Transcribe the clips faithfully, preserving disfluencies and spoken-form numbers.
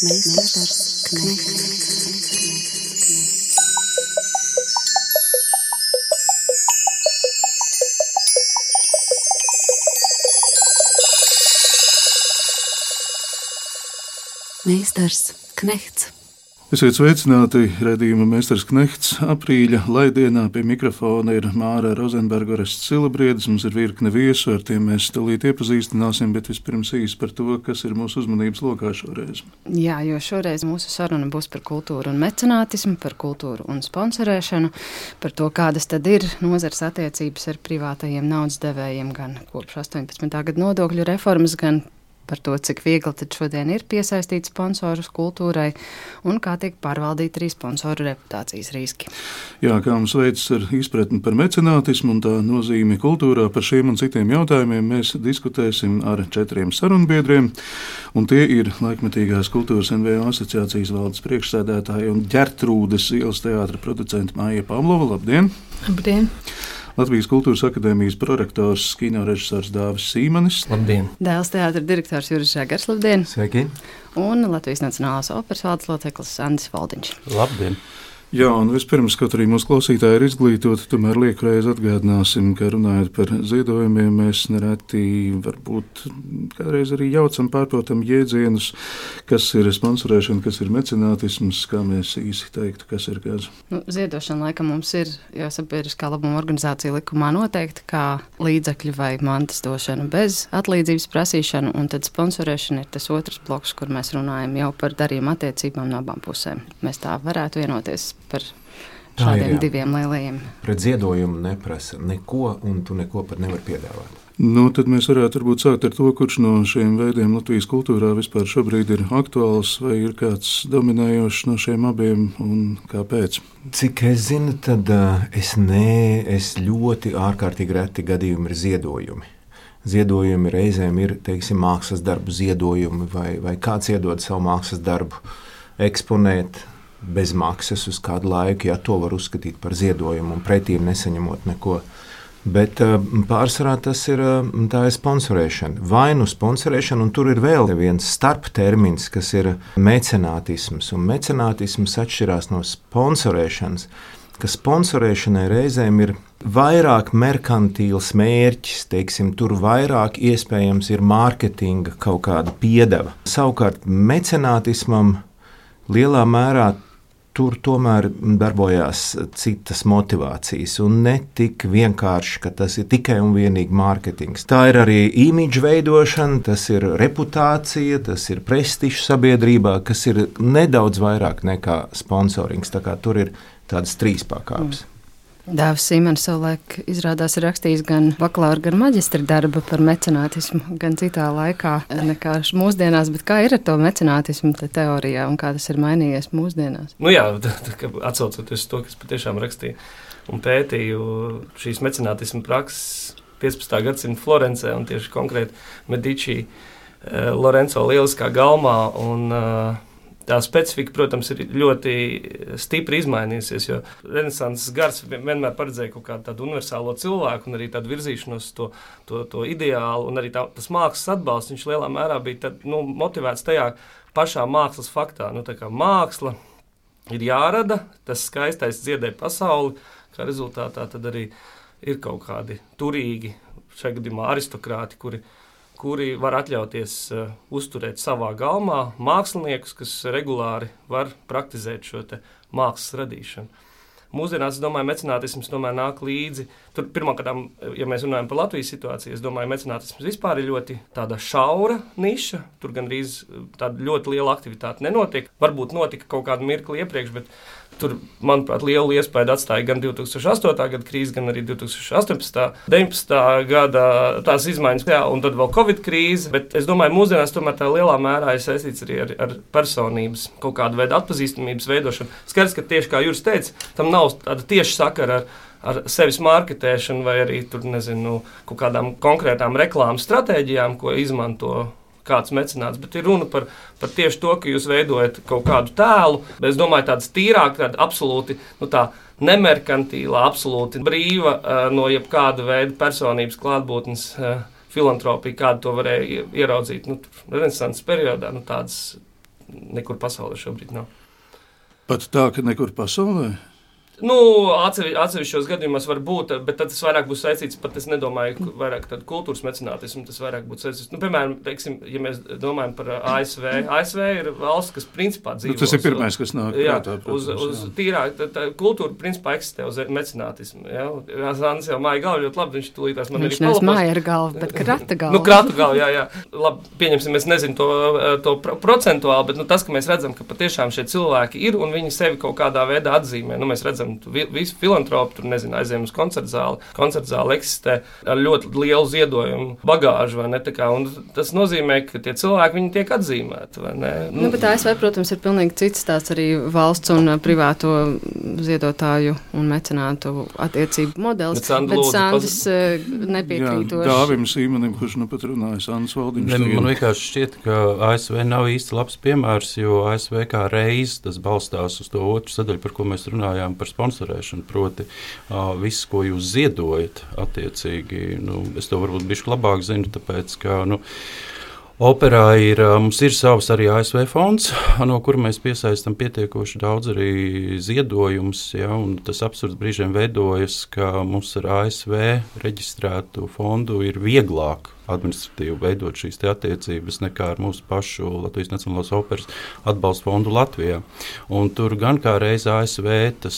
Meistars Knechts. Meistars Knechts. Esiet sveicināti raidījuma Meistars Knechts. Aprīļa laidienā pie mikrofona ir Māra Rozenberga, Orests Silabriedis. Mums ir virkne viesu, ar tiem mēs tūlīt iepazīstināsim, bet vispirms īsi par to, kas ir mūsu uzmanības lokā šoreiz. Jā, jo šoreiz mūsu saruna būs par kultūru un mecenātismu, par kultūru un sponsorēšanu, par to, kādas tad ir nozares attiecības ar privātajiem naudas devējiem gan kopš astoņpadsmitā gada nodokļu reformas, gan par to, cik viegli tad šodien ir piesaistīt sponsorus kultūrai un kā tiek pārvaldīt arī sponsoru reputācijas riski. Jā, kā mums veicas ar izpratni par mecenātismu un tā nozīmi kultūrā, par šiem un citiem jautājumiem mēs diskutēsim ar četriem sarunbiedriem, un tie ir Laikmetīgās kultūras N V O asociācijas valdes priekšsēdētāja un Ģertrūdes ielas teātra producenta Maija Pavlova. Labdien! Labdien! Latvijas Kultūras akadēmijas prorektors, kino režisors Dāvis Sīmanis. Labdien! Dēls teātra direktors Juris Žagars. Labdien! Sveiki! Un Latvijas Nacionālās operas valdes loceklis Andris Valdiņš. Labdien! Jā, un vispirms, kaut arī mūsu klausītāji ir izglītoti, tomēr liekreiz atgādināsim, ka runājot par ziedojumiem, mēs nereti varbūt kādreiz arī jaucam pārprotam jēdzienus, kas ir sponsorēšana, kas ir mecenātisms, kā mēs īsi teiktu, kas ir kāds. Nu, ziedošana laikam mums ir, jo sabiedriskā labuma organizācija likumā noteikti, kā līdzekļu vai mantas došana bez atlīdzības prasīšanu, un tad sponsorēšana ir tas otrs bloks, kur mēs runājam jau par darījuma attiecībām no abām pusēm. Mēs tā varētu vienoties par šādiem ir, diviem lielajiem. Pret ziedojumu neprasa neko, un tu neko pat nevar piedāvāt. Nu, tad mēs varētu varbūt sākt ar to, kurš no šiem veidiem Latvijas kultūrā vispār šobrīd ir aktuāls, vai ir kāds dominējošs no šiem abiem, un kāpēc? Cik es zinu, tad uh, es, ne, es ļoti ārkārtīgi reti gadījumi ir ziedojumi. Ziedojumi reizēm ir, teiksim, mākslas darbu ziedojumi, vai, vai kāds iedod savu mākslas darbu eksponēt bez maksas uz kādu laiku, ja to var uzskatīt par ziedojumu un pretīm nesaņemot neko. Bet uh, pārsvarā tas ir, uh, tā ir sponsorēšana. Vai nu sponsorēšana, un tur ir vēl viens starptermins, kas ir mecenātisms. Un mecenātisms atšķirās no sponsorēšanas, ka sponsorēšanai reizēm ir vairāk merkantīls mērķis, teiksim, tur vairāk iespējams ir mārketinga kaut kāda piedeva. Savukārt mecenātismam lielā mērā tur tomēr darbojās citas motivācijas un ne tik vienkārši, ka tas ir tikai un vienīgi mārketings. Tā ir arī imidža veidošana, tas ir reputācija, tas ir prestižs sabiedrībā, kas ir nedaudz vairāk nekā sponsorings. Tā kā tur ir tādas trīs pakāpes. Mm. Dāvis Sīmanis savulaik izrādās ir rakstījis gan bakalaura, gan maģistra darba par mecenātismu, gan citā laikā nekā mūsdienās, bet kā ir ar to mecenātismu te teorijā un kā tas ir mainījies mūsdienās? Nu jā, atsaucoties to, kas patiešām rakstīja un pētīju šīs mecenātismu prakses piecpadsmitā gadsimta Florencē un tieši konkrēti Medici Lorenzo lieliskā galmā un tā specifika, protams, ir ļoti stipri izmainījusies, jo renesanses gars vienmēr paredzēja kaut kādu tādu universālo cilvēku un arī tādu virzīšanos to, to, to ideālu, un arī tā, tas mākslas atbalsts, viņš lielā mērā bija tad, nu, motivēts tajā pašā mākslas faktā. Nu, tā kā māksla ir jārada, tas skaistais dziedē pasauli, kā rezultātā tad arī ir kaut kādi turīgi, šajā gadījumā aristokrāti, kuri kuri var atļauties uh, uzturēt savā galmā māksliniekus, kas regulāri var praktizēt šo te mākslas radīšanu. Mūsdienās, es domāju, mecenātisms tomēr nāk līdzi. Tur pirmkārt, ja mēs runājam par Latvijas situāciju, es domāju, mecenātisms vispār ir ļoti tāda šaura niša. Tur gandrīz tāda ļoti liela aktivitāte nenotiek. Varbūt notika kaut kādu mirkli iepriekš, bet tur, manuprāt, lielu iespēju atstāja gan divi tūkstoši astotā gada krīze, gan arī divi tūkstoši astoņpadsmitā, deviņpadsmitā gada tās izmaiņas, jā, un tad vēl Covid krīze. Bet es domāju, mūsdienās tomēr tā lielā mērā ir saistīts arī ar, ar personības, kaut kādu veidu atpazīstamības veidošanu. Skaidrs, ka tieši kā Juris teica, tam nav tāda tieši sakara ar, ar sevis marketēšanu vai arī tur, nezinu, kaut kādām konkrētām reklāmas stratēģijām, ko izmanto kāds mecenāts, bet ir runa par, par tieši to, ka jūs veidojat kaut kādu tēlu, bet es domāju tāds tīrāk, tāda absolūti, nu tā nemerkantīlā, absolūti brīva uh, no jebkāda veida personības klātbūtnes uh, filantropija, kādu to varēja ieraudzīt, nu, renesanses periodā, nu tādas nekur pasaulē šobrīd nav. Pat tā, ka nekur pasaulē? Nu, atsevi, atsevišķos gadījumos var būt, bet tad tas vairāk būs saistīts, pat es nedomāju, vairāk tādu kultūras mecenātismu, tas vairāk būtu saistīts. Nu, piemēram, teiksim, ja mēs domājam par A S V, A S V ir valsts, kas principā dzīvo. Nu, tas ir pirmais, kas nāk jā, prātā, protams, uz, uz tīrāk, tā, tā kultūra principā eksistē uz mecenātismu, jā. Zānis jau māja galvu ļoti labi, viņš tūlītās man viņš nevis māja ar galvu, bet krata galvu. Nu, krata galvu, jā, jā. Labi, pieņemsim, es nezinu to, to procentuāli, bet nu, tas, ka mēs redzam, ka patiešām šie cilvēki ir un viņi sevi kaut kādā veidā atzīmē. Nu, mēs redzam, visi filantropi tur, nezinu, aizējām uz koncertu zāli. Koncertu zāli eksistē ar ļoti lielu ziedojumu bagāžu, vai ne? Tā kā, un tas nozīmē, ka tie cilvēki, viņi tiek atzīmēti, vai ne? Nu, nu bet A S V, protams, ir pilnīgi cits tāds arī valsts un privāto ziedotāju un mecenātu attiecību modelis. Bet, Sandra, bet Sandis paz... nepiekrītoši. Jā, Dāvim Sīmanim, kurš nu pat runāja, Sandis Valdiņš. Ne, man vienkārši šķiet, ka A S V nav īsti labs piemērs, jo A S V kā reiz tas balstās uz to otru sadaļu, par ko mēs runājām par sponsorēšanu. Proti, uh, viss, ko jūs ziedojat, attiecīgi, nu, es to varbūt bišķi labāk zinu, tāpēc, ka, nu, operā ir, mums ir savs arī A S V fonds, no kura mēs piesaistam pietiekoši daudz arī ziedojumus, ja, un tas absurds brīžiem veidojas, ka mums ar A S V reģistrētu fondu ir vieglāk administratīvi veidot šīs attiecības nekā ar mūsu pašu Latvijas Nacionālās operas atbalsta fondu Latvijā. Un tur gan kā reiz A S V tas,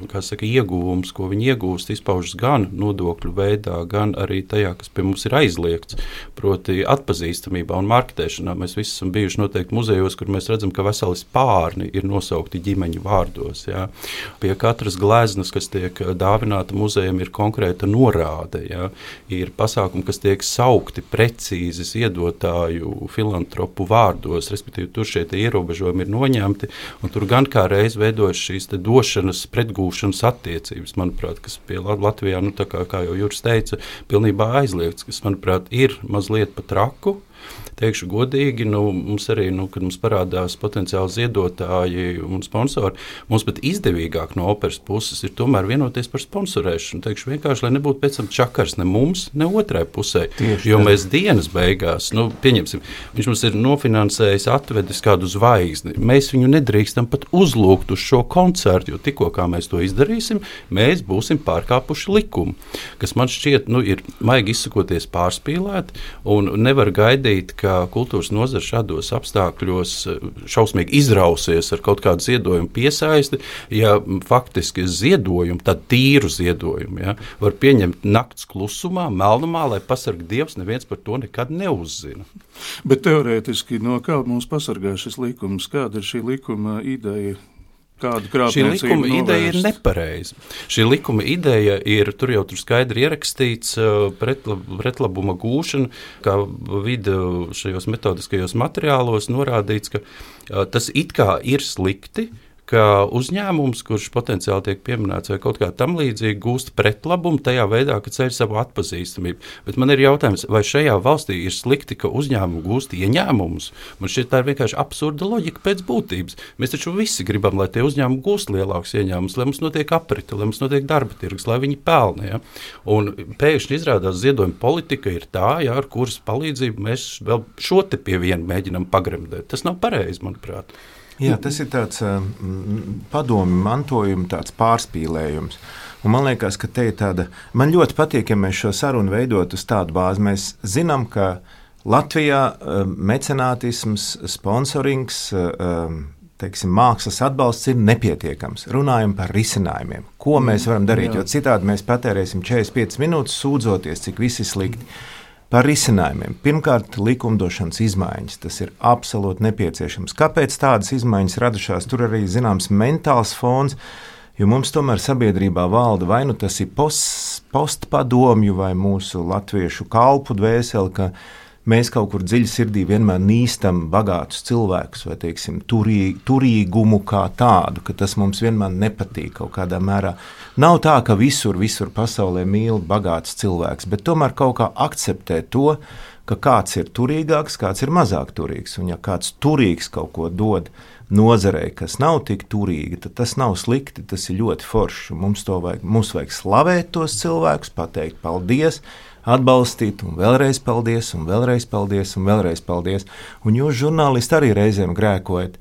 kā saka, ieguvums, ko viņi iegūst, izpaužas gan nodokļu veidā, gan arī tajā, kas pie mums ir aizliegts, proti atpazīstamībā un marketēšanā. Mēs visi esam bijuši noteikti muzejos, kur mēs redzam, ka veseli spārni ir nosaukti ģimeņu vārdos. Jā. Pie katras gleznas, kas tiek dāvināta muzejam, ir konkrēta norāde. Jā. Ir pasākumi, kas tiek saukti precīzi ziedotāju filantropu vārdos, respektīvi tur šie ierobežojumi ir noņemti, un tur gan kā reiz veidojas šīs te došanas, pretgūšanas attiecības, manuprāt, kas pie Latvijā, nu tā kā, kā jau Juris teica, pilnībā aizliegts, kas, manuprāt, ir mazliet pa traku. Teikšu godīgi, nu, mums arī, nu, kad mums parādās potenciāli ziedotāji un sponsori, mums pat izdevīgāk no operas puses ir tomēr vienoties par sponsorēšanu. Teikšu vienkārši, lai nebūtu pēc tam čakars ne mums, ne otrai pusē. Tieši jo tā. Mēs dienas beigās, nu, pieņemsim, viņš mums ir nofinansējis, atvedis kādu zvaigzni. Mēs viņu nedrīkstam pat uzlūgt uz šo koncertu, jo tikko kā mēs to izdarīsim, mēs būsim pārkāpuši likumu, kas man šķiet, nu, ir maigi izsakoties pārspīlēt un nevar gaidīt, ka kultūras nozara šādos apstākļos šausmīgi izrausies ar kaut kādu ziedojumu piesaisti, ja faktiski ziedojumu, tad tīru ziedojumu, ja, var pieņemt nakts klusumā, melnumā, lai pasarg Dievs, neviens par to nekad neuzzina. Bet teorētiski, no kā mums pasargā šis likums? Kāda ir šī likuma ideja? Šī likuma ideja ir nepareiza. Šī likuma ideja ir, tur jau tur skaidri ierakstīts pretlab, pretlabuma gūšana, kā vidi šajos metodiskajos materiālos norādīts, ka tas it kā ir slikti, ka uzņēmums, kurš potenciāli tiek pieminēts vai kaut kā tam līdzīgi, gūst pretlabumu tajā veidā, ka ceļ savu atpazīstamību. Bet man ir jautājums, vai šajā valstī ir slikti, ka uzņēmumi gūst ieņēmumus? Man šķiet, tā ir vienkārši absurda loģika pēc būtības. Mēs taču visi gribam, lai tie uzņēmumi gūst lielākus ieņēmumus, lai mums notiek aprite, lai mums notiek darba tirgus, lai viņi pelna. Ja? Un pēkšņi izrādās ziedojuma politika ir tā, ja, ar kuras palīdzību mēs vēl šo te pie viena mēģinam pagremdēt. Tas nav pareizi, manuprāt. Jā, tas ir tāds um, padomi mantojuma, tāds pārspīlējums. Un man liekas, ka te ir tāda, man ļoti patīk, ja mēs šo sarunu veidot uz tādu bāzi. Mēs zinām, ka Latvijā um, mecenātisms, sponsorings, um, teiksim, mākslas atbalsts ir nepietiekams. Runājam par risinājumiem. Ko mēs varam darīt, jā. Jo citādi mēs patērēsim četrdesmit piecas minūtes sūdzoties, cik viss ir slikti. Par risinājumiem. Pirmkārt, likumdošanas izmaiņas. Tas ir absolūti nepieciešams. Kāpēc tādas izmaiņas radušās? Tur arī zināms mentāls fons, jo mums tomēr sabiedrībā valda vai nu tas ir post, postpadomju vai mūsu latviešu kalpu dvēseli, ka mēs kaut kur dziļi sirdī vienmēr nīstam bagātus cilvēkus vai, teiksim, turī, turīgumu kā tādu, ka tas mums vienmēr nepatīk kaut kādā mērā. Nav tā, ka visur, visur pasaulē mīl bagātus cilvēks, bet tomēr kaut kā akceptē to, ka kāds ir turīgāks, kāds ir mazāk turīgs. Un ja kāds turīgs kaut ko dod nozarei, kas nav tik turīga, tad tas nav slikti, tas ir ļoti forši. Mums, to vajag, mums vajag slavēt tos cilvēkus, pateikt paldies, atbalstīt, un vēlreiz paldies, un vēlreiz paldies, un vēlreiz paldies. Un jūs, žurnālisti, arī reizēm grēkojat.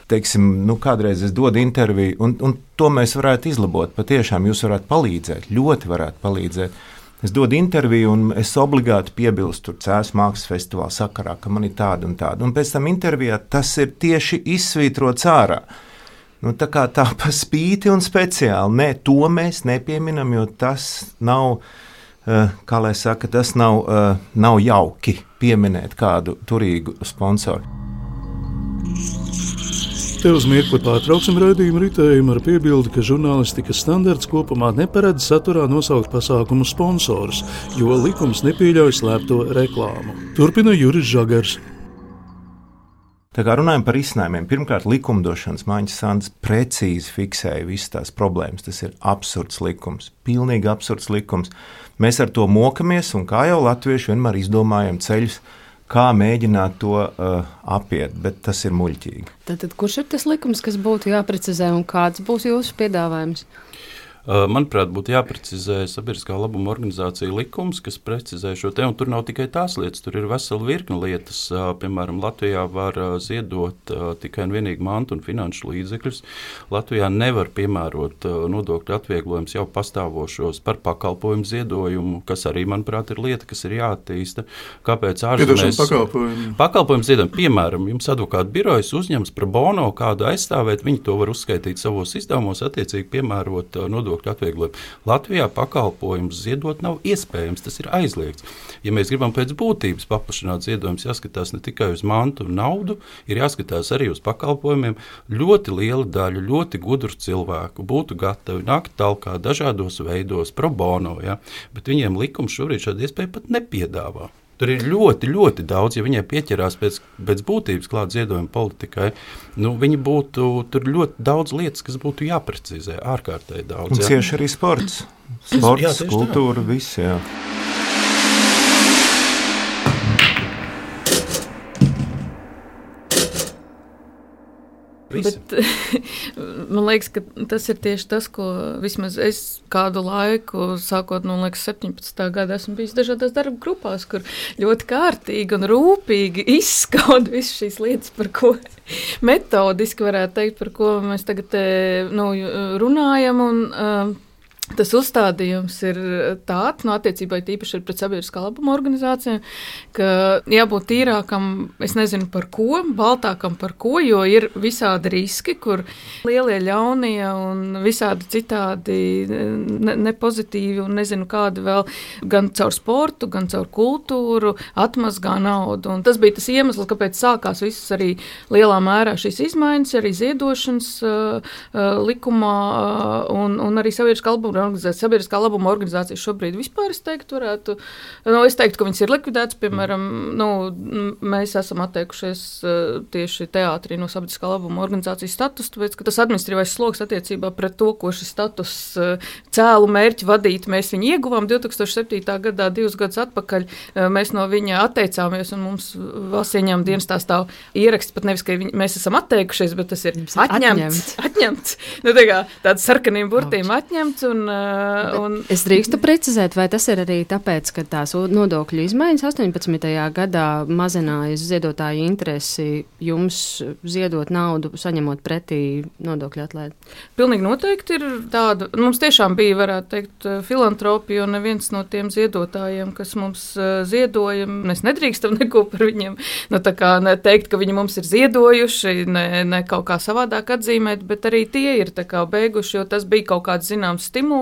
Teiksim, nu, kādreiz es dodu interviju, un, un to mēs varētu izlabot. Patiešām jūs varētu palīdzēt, ļoti varētu palīdzēt. Es dodu interviju, un es obligāti piebilstu Cēsu mākslas festivāla sakarā, ka man ir tāda un tāda. Un pēc tam intervijā tas ir tieši izsvītrots ārā. Nu, tā kā tā pa spīti un speciāli. Nē, to mēs nepieminam, jo tas nav, uh, kā lai saka, tas nav, uh, nav jauki pieminēt kādu turīgu sponsoru. Te uz mirkli pārtrauksim raidījumu ritējumu ar piebildi, ka žurnālistikas standarts kopumā neparedz saturā nosaukt pasākumu sponsorus, jo likums nepieļauj slēpto reklāmu. Turpina Juris Žagars. Tā kā runājam par risinājumiem, pirmkārt, likumdošanas Māņas Sants precīzi fiksēja visas tās problēmas. Tas ir absurds likums, pilnīgi absurds likums. Mēs ar to mokamies, un kā jau latvieši vienmēr izdomājam ceļus, kā mēģināt to uh, apiet, bet tas ir muļķīgi. Tad, kurš ir tas likums, kas būtu jāprecizē, un kāds būs jūsu piedāvājums? Manuprāt, būtu jāprecizē sabiedriskā labuma organizācija likums, kas precizē šo te, un tur nav tikai tās lietas, tur ir vesela virkne lietas. Piemēram, Latvijā var ziedot tikai un vienīgi mantu un finanšu līdzekļus. Latvijā nevar piemērot nodokļu atvieglojumus jau pastāvošos par pakalpojumu ziedojumu, kas arī, manuprāt, ir lieta, kas ir jāattīsta. Kāpēc ārzemēs pakalpojumu? Pakalpojumu ziedojumu, piemēram, jums advokāta birojas uzņems par bono kādu aizstāvēt, viņi to var uzskaitīt savos izdevumos, attiecīgi piemērot nodokļu atvieglojumu. Latvijā pakalpojums ziedot nav iespējams, tas ir aizliegts. Ja mēs gribam pēc būtības paplašināt ziedojumus, jāskatās ne tikai uz mantu un naudu, ir jāskatās arī uz pakalpojumiem. Ļoti liela daļa, ļoti gudru cilvēku būtu gatavi nākt talkā dažādos veidos, pro bono, ja? Bet viņiem likums šobrīd šādu iespēju pat nepiedāvā. Tur ir ļoti, ļoti daudz, ja viņai pieķerās pēc, pēc būtības klāt ziedojuma politikai, nu, viņi būtu, tur ļoti daudz lietas, kas būtu jāprecizē, ārkārtēji daudz. Un cieši arī sports. Sports, jā, kultūra, viss, jā. Bet, man liekas, ka tas ir tieši tas, ko vismaz es kādu laiku, sākot no liekas, septiņpadsmitā gada, esmu bijis dažādās darba grupās, kur ļoti kārtīgi un rūpīgi izskauda visas šīs lietas, par ko metodiski varētu teikt, par ko mēs tagad nu, runājam. Un, uh, Tas uzstādījums ir tāds, no attiecībā tīpaši ir pret sabiedriskā labuma organizācijām, ka jābūt tīrākam, es nezinu par ko, baltākam par ko, jo ir visādi riski, kur lielie ļaunie un visādi citādi ne, nepozitīvi un nezinu kādi vēl gan caur sportu, gan caur kultūru atmazgā naudu. Un tas bija tas iemesls, kāpēc sākās visas arī lielā mērā šīs izmaiņas, arī ziedošanas uh, uh, likumā uh, un, un arī sabiedriskā labuma organizācija. Sabiedriskā labuma organizācija šobrīd vispār, es teiktu, varētu, nu, es teiktu, ka viņas ir likvidētas, piemēram, nu, mēs esam atteikušies uh, tieši teātrī no sabiedriskā labuma organizācijas status, tāpēc, ka tas administratīvais sloks attiecībā pret to, ko šis status uh, cēlu mērķi vadīt, mēs viņu ieguvām divi tūkstoši septītā gadā, divus gadus atpakaļ, uh, mēs no viņa atteicāmies, un mums valsts ieņēmuma dienestā stāv ieraksts, pat nevis, ka viņi, mēs esam atteikušies, bet tas ir atņemts, atņemts, nu, tā kā tāds sarkaniem burtīm atņemts, un Un... Es drīkstu precizēt, vai tas ir arī tāpēc, ka tās nodokļu izmaiņas astoņpadsmitajā gadā mazināja ziedotāju interesi jums ziedot naudu, saņemot pretī nodokļu atlaidi? Pilnīgi noteikti ir tāda. Mums tiešām bija, varētu teikt, filantropija, un neviens no tiem ziedotājiem, kas mums ziedoja, mēs nedrīkstam neko par viņiem, nu tā kā ne teikt, ka viņi mums ir ziedojuši, ne, ne kaut kā savādāk atzīmēt, bet arī tie ir tā kā beiguši, jo tas bija kaut kāds zināms stimuls,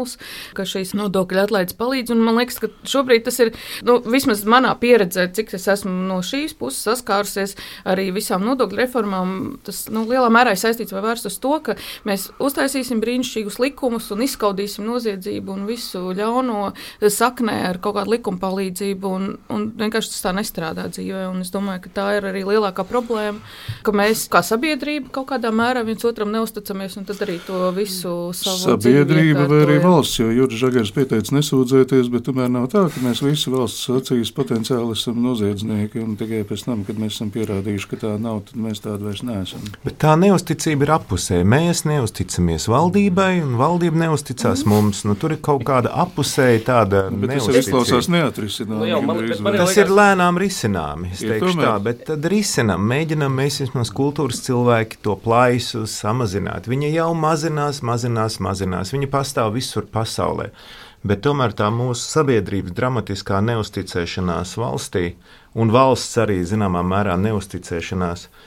ka šīs nodokļu atlaides palīdz, un man liekas, ka šobrīd tas ir, nu, vismaz manā pieredzē, cik es esmu no šīs puses saskārusies arī visām nodokļu reformām, tas, nu, lielā mērā ir saistīts vai vērsts uz to, ka mēs uztaisīsim brīnišķīgus likumus un izskaudīsim noziedzību un visu ļauno saknē ar kaut kādu likuma palīdzību, un, un vienkārši tas tā nestrādā dzīvē, un es domāju, ka tā ir arī lielākā problēma, ka mēs kā sabiedrība kaut kādā mērā viens otram neusticamies, un tad arī to visu savu sabiedrība vai arī arī valsts, jo Juris Žagars pieteica nesūdzēties, bet tomēr nav tā, ka mēs visi valsts acīs potenciāli esam noziedznieki, un tikai pēc tam, kad mēs esam pierādījuši, ka tā nav, tad mēs tādi vairs neesam. Bet tā neusticība ir apusē. Mēs neusticamies valdībai, un valdība neusticās mm. mums. Nu, tur ir kaut kāda apusēja tāda bet tas izklausās neatrisinām. Nu, jā, man, bet, man tas ir lēnām risināmi, es teikšu tomēr... tā, bet tad risinām, mēģinām mēs vismaz kultūras cilvēki to plaisu samazināt. Viņa jau mazinās, mazinās, mazinās. Viņa pastāv visur pasaulē. Bet tomēr tā mūsu sabiedrības dramatiskā neusticēšanās valstī un valsts arī zināmā mērā neusticēšanās uh,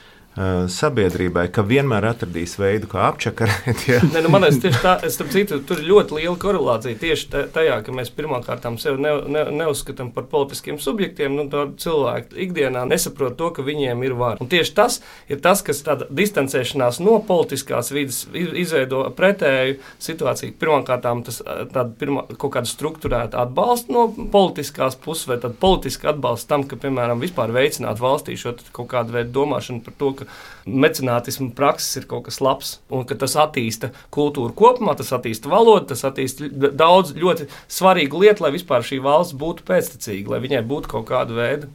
sabiedrībai, ka vienmēr atradīs veidu, kā apčakarēt. Ja. Ne, nu, man es tieši tā, es tam citu, tur ir ļoti liela korelācija tieši tajā, ka mēs pirmkārtām sevi ne, ne, neuzskatām par politiskiem subjektiem, nu tā cilvēki ikdienā nesaprot to, ka viņiem ir vara. Un tieši tas ir tas, kas tāda distancēšanās no politiskās vidas izveido pretēju situāciju. Pirmkārtām tas tāda pirmā, kaut kāda strukturēta atbalsta no politiskās puses vai tāda politiska atbalsta tam, ka, piemēram, vispār veicināt valstī šo kaut kādu veidu domāšanu par to, ka mecenātismu prakses ir kaut kas labs un ka tas attīsta kultūru kopumā, tas attīsta valodu, tas attīsta daudz ļoti svarīgu lietu, lai vispār šī valsts būtu pēctecīga, lai viņai būtu kaut kāda veida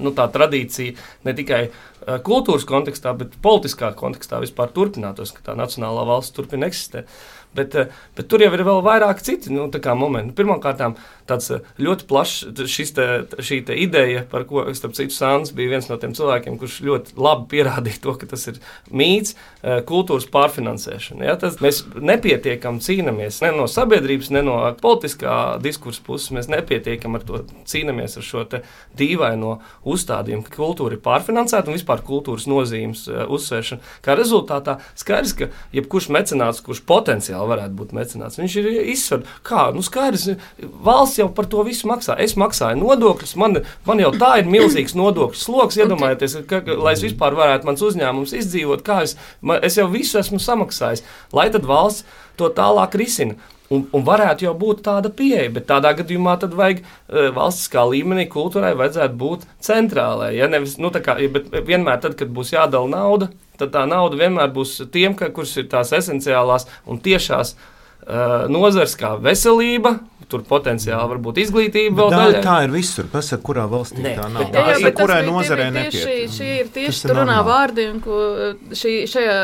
nu, tā tradīcija ne tikai uh, kultūras kontekstā, bet politiskā kontekstā vispār turpinātos, ka tā nacionālā valsts turpina eksistēt. Bet, bet tur jau ir vēl vairāk citi nu, momenti. Pirmkārt, tāds ļoti plašs šis te, šī te ideja, par ko, starp citu, Sāns bija viens no tiem cilvēkiem, kurš ļoti labi pierādīja to, ka tas ir mīts, kultūras pārfinansēšana. Ja? Tas, mēs nepietiekam cīnamies ne no sabiedrības, ne no politiskā diskursa puses, mēs nepietiekam ar to cīnamies ar šo te dīvaino uzstādījumu, ka kultūra ir pārfinansēta un vispār kultūras nozīmes uzsvēršana. Kā rezultātā skaidrs, ka jebkurš mecenāts, kurš potenciāli varētu būt mecenāts. Viņš ir izsver, kā, nu skaidrs, valsts jau par to visu maksā. Es maksāju nodokļus, man, man jau tā ir milzīgs nodokļu sloks, iedomājieties, ka, ka, lai es vispār varētu mans uzņēmums izdzīvot, kā es, man, es jau visu esmu samaksājis, lai tad valsts to tālāk risina. Un, un varētu jau būt tāda pieeja, bet tādā gadījumā tad vajag uh, valstiskā līmenī kultūrai vajadzētu būt centrālai. Ja? Nevis, nu, kā, bet vienmēr tad, kad būs jādala nauda, tad tā nauda vienmēr būs tiem, ka, kuras ir tās esenciālās un tiešās uh, nozars kā veselība, tur potenciāli varbūt izglītība vēl daļai. Tā ir visur, pasaka, kurā valstī ne, tā nav. Jā, jā, jā, kurai nozarē tieši, nepiet. šī ir tieši tur runā vārdiem, ko šī, šajā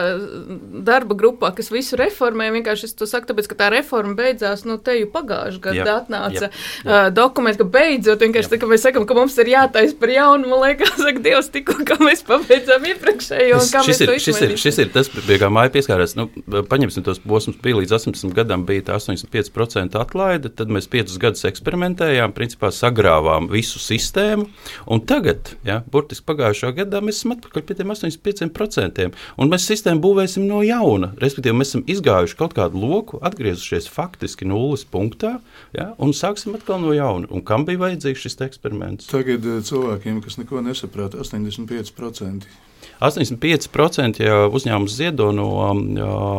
darba grupā, kas visu reformē, vienkārši es to saku, tāpēc, ka tā reforma beidzās, nu, te jau pagājuši gadu jā, atnāca jā, jā. Uh, dokumenti, ka beidzot, vienkārši tā, ka mēs sakam, ka mums ir jātais par jaunu, man liekas, saka, Dievs, tikko, kā mēs pabeidzām iepriekšējo, un kā šis mēs ir, to šis ir, šis ir tas, pie kā māja pieskārās, nu, paņemsim tos posmus, bija līdz astoņdesmit gadam bija tā astoņdesmit pieci procenti atlaide, tad mēs piecus gadus eksperimentējām, principā sagrāvām visu sistēmu, un tagad, ja, burtiski pagājušā gadā mēs esam atpakaļ pie tiem astoņdesmit pieciem procentiem, un mēs sistēmu būvēsim no jauna, respektīvi mēs esam izgājuši kaut kādu loku, atgriezušies faktiski nulles punktā, ja, un sāksim atkal no jauna. Un kam bija vajadzīgs šis eksperiments? Tagad cilvēkiem, kas neko nesaprāt, astoņdesmit pieci procenti. astoņdesmit pieci procenti, ja uzņēmums ziedo no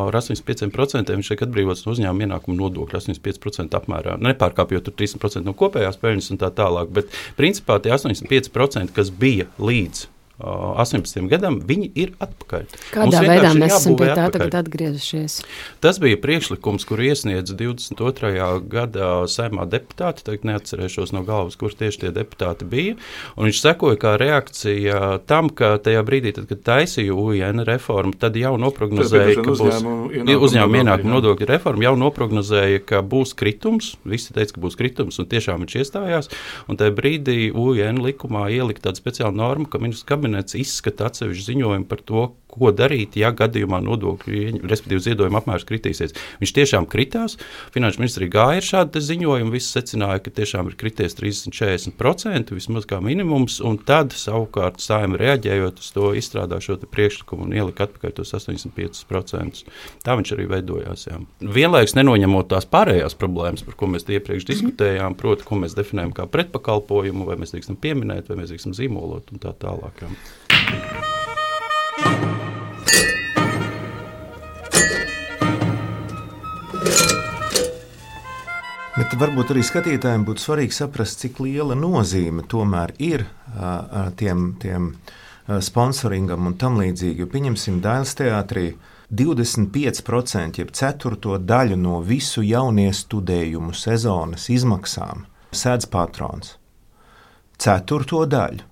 ar astoņdesmit pieciem procentiem, viņš tiek atbrīvots no uzņēmuma ienākuma nodokļa astoņdesmit pieci procenti apmērā. Nepārkāpjot tur trīsdesmit procenti no kopējās peļņas un tā tālāk, bet principā tie astoņdesmit pieci procenti, kas bija līdz astoņpadsmitajam gadam, viņi ir atpakaļ. Kādā veidā mēs esam pie tā tagad atgriezušies? Tas bija priekšlikums, kuru iesniedz divdesmit otrajā gadā Saeimā deputāti, tagad neatcerēšos no galvas, kur tieši tie deputāti bija, un viņš sekoja kā reakcija tam, ka tajā brīdī, tad, kad taisīja U I N reformu, tad jau noprognozēja, ka būs uzņēmuma ienākuma nodokļa reforma, jau noprognozēja, ka būs kritums, visi teica, ka būs kritums, un tiešām viņš iestājās, un tajā brīdī U I N likumā ielika tāda speciāla norma, ka ministrs kabinets izskata atsevišķu ziņojumu par to, ko darīt, ja gadījumā nodokļu, respektīvi ziedojuma apmērs kritīsies. Viņš tiešām kritās, Finanšu ministrija gāja ar šādu ziņojumu, visi secināja, ka tiešām ir krities trīsdesmit līdz četrdesmit procenti, vismaz kā minimums, un tad savukārt Saeima reaģējot uz to izstrādā šo te priekšlikumu un ielika atpakaļ tos astoņdesmit piecus procentus. Tā viņš arī veidojās. Jā. Vienlaikus nenoņemot tās pārējās problēmas, par ko mēs iepriekš diskutējām, proti, ko mēs definējam kā pretpakalpojumu, vai mēs drīkstam pieminēt, vai mēs drīkstam zīmolot un tā tālāk. Jā. Bet varbūt arī skatītājiem būtu svarīgi saprast, cik liela nozīme tomēr ir uh, tiem, tiem uh, sponsoringam un tam līdzīgi. Jo pieņemsim Dailes teātrī, divdesmit pieci procenti, jeb ceturto daļu no visu jauniestudējumu sezonas izmaksām sēdz patrons. Ceturto daļu.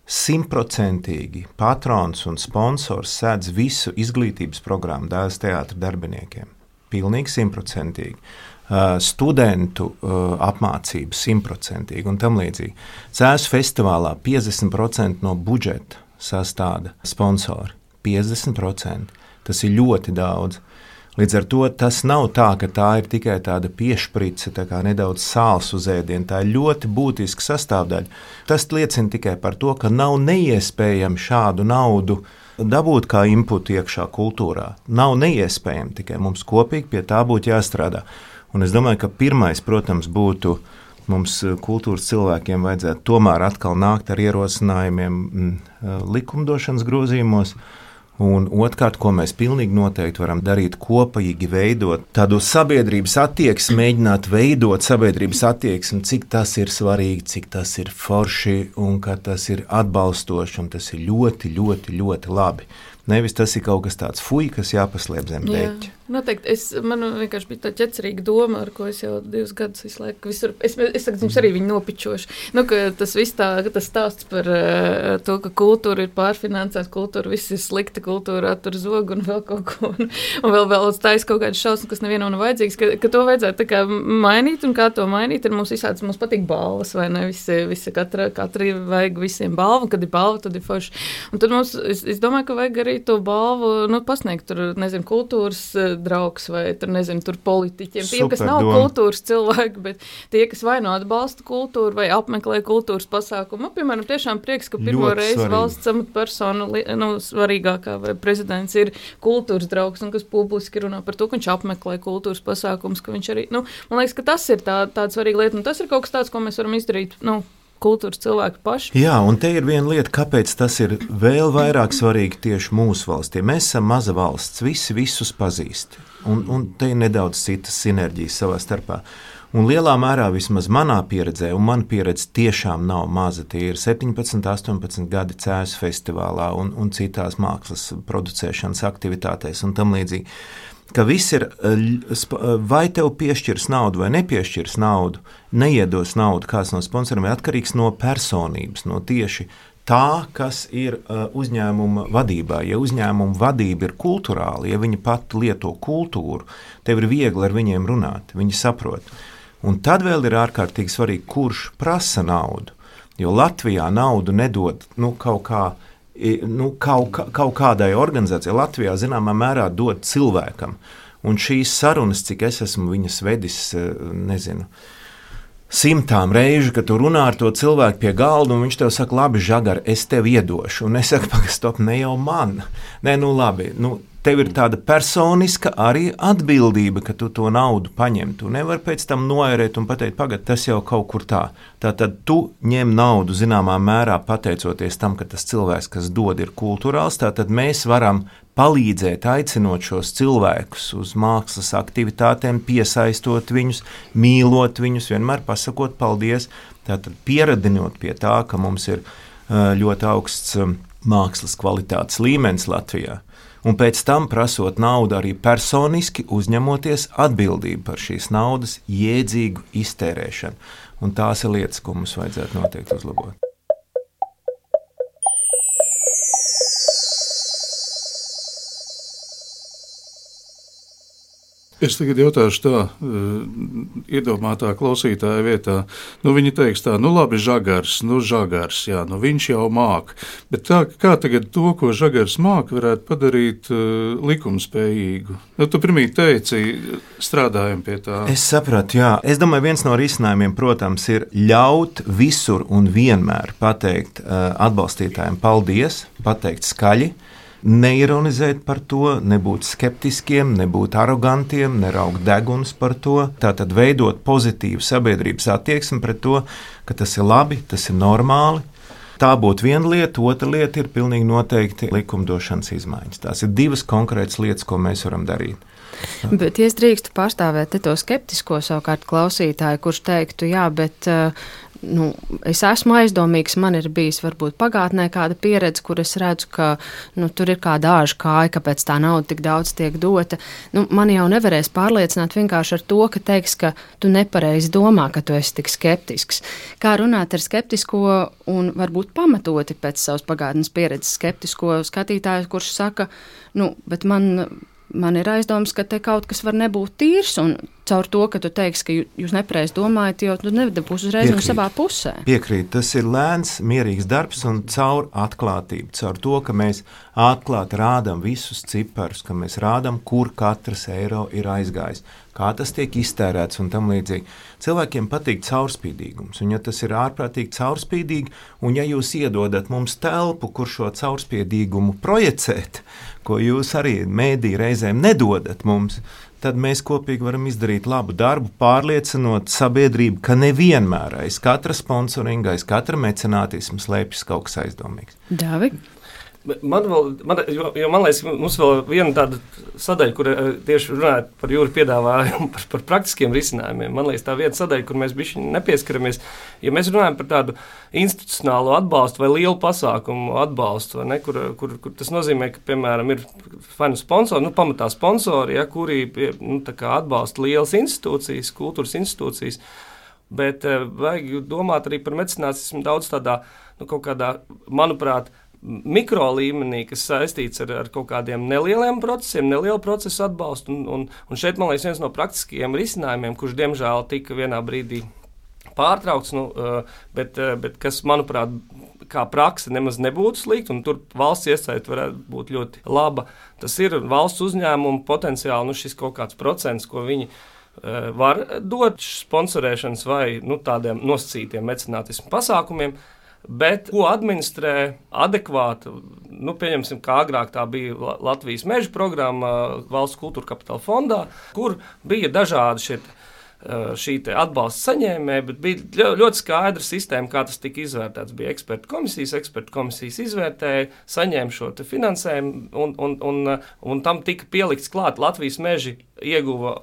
Simtprocentīgi patrons un sponsors sēdz visu izglītības programmu Dēls teātra darbiniekiem. Pilnīgi simtprocentīgi. Uh, studentu uh, apmācību simtprocentīgi un tam līdzīgi. Cēsu festivālā piecdesmit procenti no budžeta sastāda sponsori. piecdesmit procenti. Tas ir ļoti daudz. Līdz ar to tas nav tā, ka tā ir tikai tāda piešprice, tā kā nedaudz sāls uz ēdienu. Tā ir ļoti būtiska sastāvdaļa. Tas liecina tikai par to, ka nav neiespējami šādu naudu dabūt kā inputu iekšā kultūrā. Nav neiespējami, tikai mums kopīgi pie tā būtu jāstrādā. Un es domāju, ka pirmais, protams, būtu mums kultūras cilvēkiem vajadzētu tomēr atkal nākt ar ierosinājumiem likumdošanas grozījumos. Un otrkārt, ko mēs pilnīgi noteikti varam darīt, kopīgi veidot tādu sabiedrības attieksmi, mēģināt veidot sabiedrības attieksmi, cik tas ir svarīgi, cik tas ir forši un ka tas ir atbalstoši un tas ir ļoti, ļoti, ļoti labi. Nevis tas ir kaut kas tāds fuj, kas jāpaslēp zem deķa. Noteikti. Es, man vienkārši bija tā ķecerīga doma, ar ko es jau divus gadus visu laiku visur, es, es saku, jums arī viņu nopičošu. Nu, ka tas viss tā, tas stāsts par uh, to, ka kultūra ir pārfinansēta, kultūra viss ir slikta, kultūra attur zogu un vēl kaut ko, un, un vēl vēl stājas kaut kādas šausmas, kas nevienam nav vajadzīgas, ka, ka to vajadzētu tā kā mainīt, un kā to mainīt, ir mums visāds, mums patīk balvas, vai ne, visi, visi katra, katra vajag visiem balvu, kad ir balva, tad ir forši. Un tad mums, es, es domāju, ka vajag arī to balvu, nu, pasniegt tur, nezinu, kultūras draugs vai tur, nezinu, tur politiķiem. Tie, kas nav doma. Kultūras cilvēki, bet tie, kas vai no atbalsta kultūru vai apmeklē kultūras pasākumu. Nu, piemēram, tiešām prieks, ka pirmo ļoti reizi svarīgi. Valsts amatpersona, nu, svarīgākā vai prezidents ir kultūras draugs un kas publiski runā par to, ka viņš apmeklē kultūras pasākums, ka viņš arī, nu, man liekas, ka tas ir tā, tāda svarīga lieta, un tas ir kaut kas tāds, ko mēs varam izdarīt, nu, kultūras cilvēki paši. Jā, un te ir viena lieta, kāpēc tas ir vēl vairāk svarīgi tieši mūsu valstī. Mēs esam maza valsts, visi visus pazīst, un, un te ir nedaudz citas sinerģijas savā starpā. Un lielā mērā vismaz manā pieredzē, un mana pieredze tiešām nav maza, tie ir septiņpadsmit, astoņpadsmit gadi Cēsu festivālā un, un citās mākslas producēšanas aktivitātēs un tam līdzīgi. Ka viss ir, vai tev piešķirs naudu vai nepiešķirs naudu, neiedos naudu kāds no sponsoriem, ir atkarīgs no personības, no tieši tā, kas ir uzņēmuma vadībā. Ja uzņēmuma vadība ir kulturāla, ja viņi pat lieto kultūru, tev ir viegli ar viņiem runāt, viņi saprot. Un tad vēl ir ārkārtīgi svarīgi, kurš prasa naudu, jo Latvijā naudu nedod, nu, kaut kā, Nu, kaut, kaut kādai organizācijai Latvijā zināmā mērā dod cilvēkam. Un šīs sarunas, cik es esmu viņas vedis, nezinu, simtām reižu, kad tu runā ar to cilvēku pie galda, un viņš tev saka, labi, Žagar, es tev iedošu. Un es saku, pagastop, ne jau man. Nē, nu labi, nu, tev ir tāda personiska arī atbildība, ka tu to naudu paņem. Tu nevari pēc tam noērēt un pateikt, pagad, tas jau kaut kur tā. Tātad tu ņem naudu zināmā mērā pateicoties tam, ka tas cilvēks, kas dod, ir kulturāls, tātad mēs varam palīdzēt, aicinot šos cilvēkus uz mākslas aktivitātēm, piesaistot viņus, mīlot viņus, vienmēr pasakot paldies, tātad pieradinot pie tā, ka mums ir ļoti augsts mākslas kvalitātes līmenis Latvijā. Un pēc tam prasot naudu arī personiski uzņemoties atbildību par šīs naudas jēdzīgu iztērēšanu. Un tās ir lietas, ko mums vajadzētu noteikti uzlabot. Es tagad jautāšu tā, iedomātā klausītāja vietā. Nu, viņi teiks tā, nu labi, Žagars, nu Žagars, jā, nu viņš jau māk. Bet tā, kā tagad to, ko Žagars māk, varētu padarīt uh, likumspējīgu? Nu, tu pirmīt teici, strādājam pie tā. Es sapratu, jā. Es domāju, viens no risinājumiem, protams, ir ļaut visur un vienmēr pateikt uh, atbalstītājiem paldies, pateikt skaļi, neironizēt par to, nebūt skeptiskiem, nebūt arogantiem, neraugt deguns par to. Tātad veidot pozitīvu sabiedrības attieksmi pret to, ka tas ir labi, tas ir normāli. Tā būtu viena lieta, otra lieta ir pilnīgi noteikti likumdošanas izmaiņas. Tās ir divas konkrētas lietas, ko mēs varam darīt. Bet, ja es drīkstu pārstāvēt to skeptisko savukārt klausītāju, kurš teiktu, jā, bet nu, es esmu aizdomīgs, man ir bijis varbūt pagātnē kāda pieredze, kur es redzu, ka nu, tur ir kāda āža kāja, kāpēc tā nauda tik daudz tiek dota. Nu, man jau nevarēs pārliecināt vienkārši ar to, ka teiks, ka tu nepareizi domā, ka tu esi tik skeptisks. Kā runāt ar skeptisko un varbūt pamatoti pēc savas pagātnes pieredzes skeptisko skatītāju, kurš saka, nu, bet man... Man ir aizdoms, ka te kaut kas var nebūt tīrs, un caur to, ka tu teiksi, ka jūs nepareizi domājat, jo tu nedabūsi uzreiz no savā pusē. Piekrīt, tas ir lēns, mierīgs darbs un caur atklātību, caur to, ka mēs atklāti rādām visus ciparus, ka mēs rādām, kur katrs eiro ir aizgājis, kā tas tiek iztērēts un tam līdzīgi. Cilvēkiem patīk caurspīdīgums, un ja tas ir ārprātīgi caurspīdīgi, un ja jūs iedodat mums telpu, kur šo caurspīdīgumu projicēt, ko jūs arī mēdī reizēm nedodat mums, tad mēs kopīgi varam izdarīt labu darbu, pārliecinot sabiedrību, ka nevienmēr aiz katra sponsoringa, aiz katra mecenātisma slēpjas kaut kas aizdomīgs. Davi? Man vēl, man, jo, jo man liekas, mums vēl viena tāda sadaļa, kur tieši runājot par jūru piedāvājumu, par, par praktiskiem risinājumiem. Man liekas, tā viena sadaļa, kur mēs bišķi nepieskaramies, ja mēs runājam par tādu institucionālo atbalstu vai lielu pasākumu atbalstu, ne, kur, kur, kur tas nozīmē, ka, piemēram, ir vai nu sponsori, nu, pamatā sponsori, ja, kuri nu, tā kā atbalsta lielas institūcijas, kultūras institūcijas, bet vajag domāt arī par mecenātismu daudz tādā, nu, kaut kādā, manuprāt, mikro līmenī, kas saistīts ar, ar kaut kādiem nelieliem procesiem, nelielu procesu atbalstu. Un, un, un šeit, man liekas, viens no praktiskajiem risinājumiem, kurš, diemžēl, tika vienā brīdī pārtraukts, nu, bet, bet kas, manuprāt, kā prakse nemaz nebūtu slikta, un tur valsts iesaiste varētu būt ļoti laba. Tas ir valsts uzņēmumu potenciāli, nu, šis kaut kāds procents, ko viņi var dot sponsorēšanas vai nu, tādiem nosacītiem mecenātismu pasākumiem. Bet ko administrē adekvāti, nu, pieņemsim, kā agrāk tā bija Latvijas meža programma Valsts kultūra kapitāla fondā, kur bija dažādi šie, šī atbalsta saņēmēji, bet bija ļoti skaidra sistēma, kā tas tika izvērtēts. Bija ekspertu komisijas, ekspertu komisijas izvērtēja, saņēma šo finansējumu, un, un, un, un tam tika pielikts klāt. Latvijas meži ieguva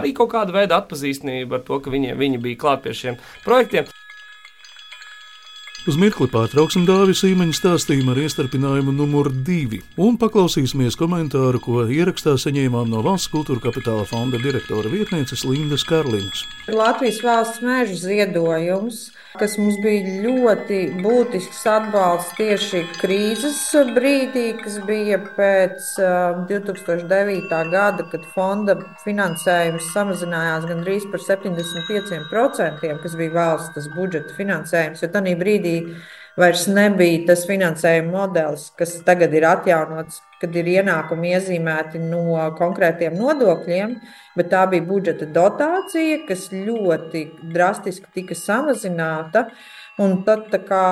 arī kaut kādu veidu atpazīstamību ar to, ka viņi, viņi bija klāt pie šiem projektiem. Uz mirkli pārtrauksim Dāvi Sīmeņa stāstījumu ar iestarpinājumu numur divi un paklausīsimies komentāru, ko ierakstā saņēmām no Valsts kultūra kapitāla fonda direktora vietnieces Lindas Karlinas. Latvijas valsts mežu ziedojums, kas mums bija ļoti būtisks atbalsts tieši krīzes brīdī, kas bija pēc uh, divi tūkstoši devītā gada, kad fonda finansējums samazinājās gandrīz par septiņdesmit pieciem procentiem, kas bija valsts budžeta finansējums, jo tanī brīdī vairs nebija tas finansējuma modelis, kas tagad ir atjaunots, kad ir ienākumi iezīmēti no konkrētiem nodokļiem, bet tā bija budžeta dotācija, kas ļoti drastiski tika samazināta. Un tad tā kā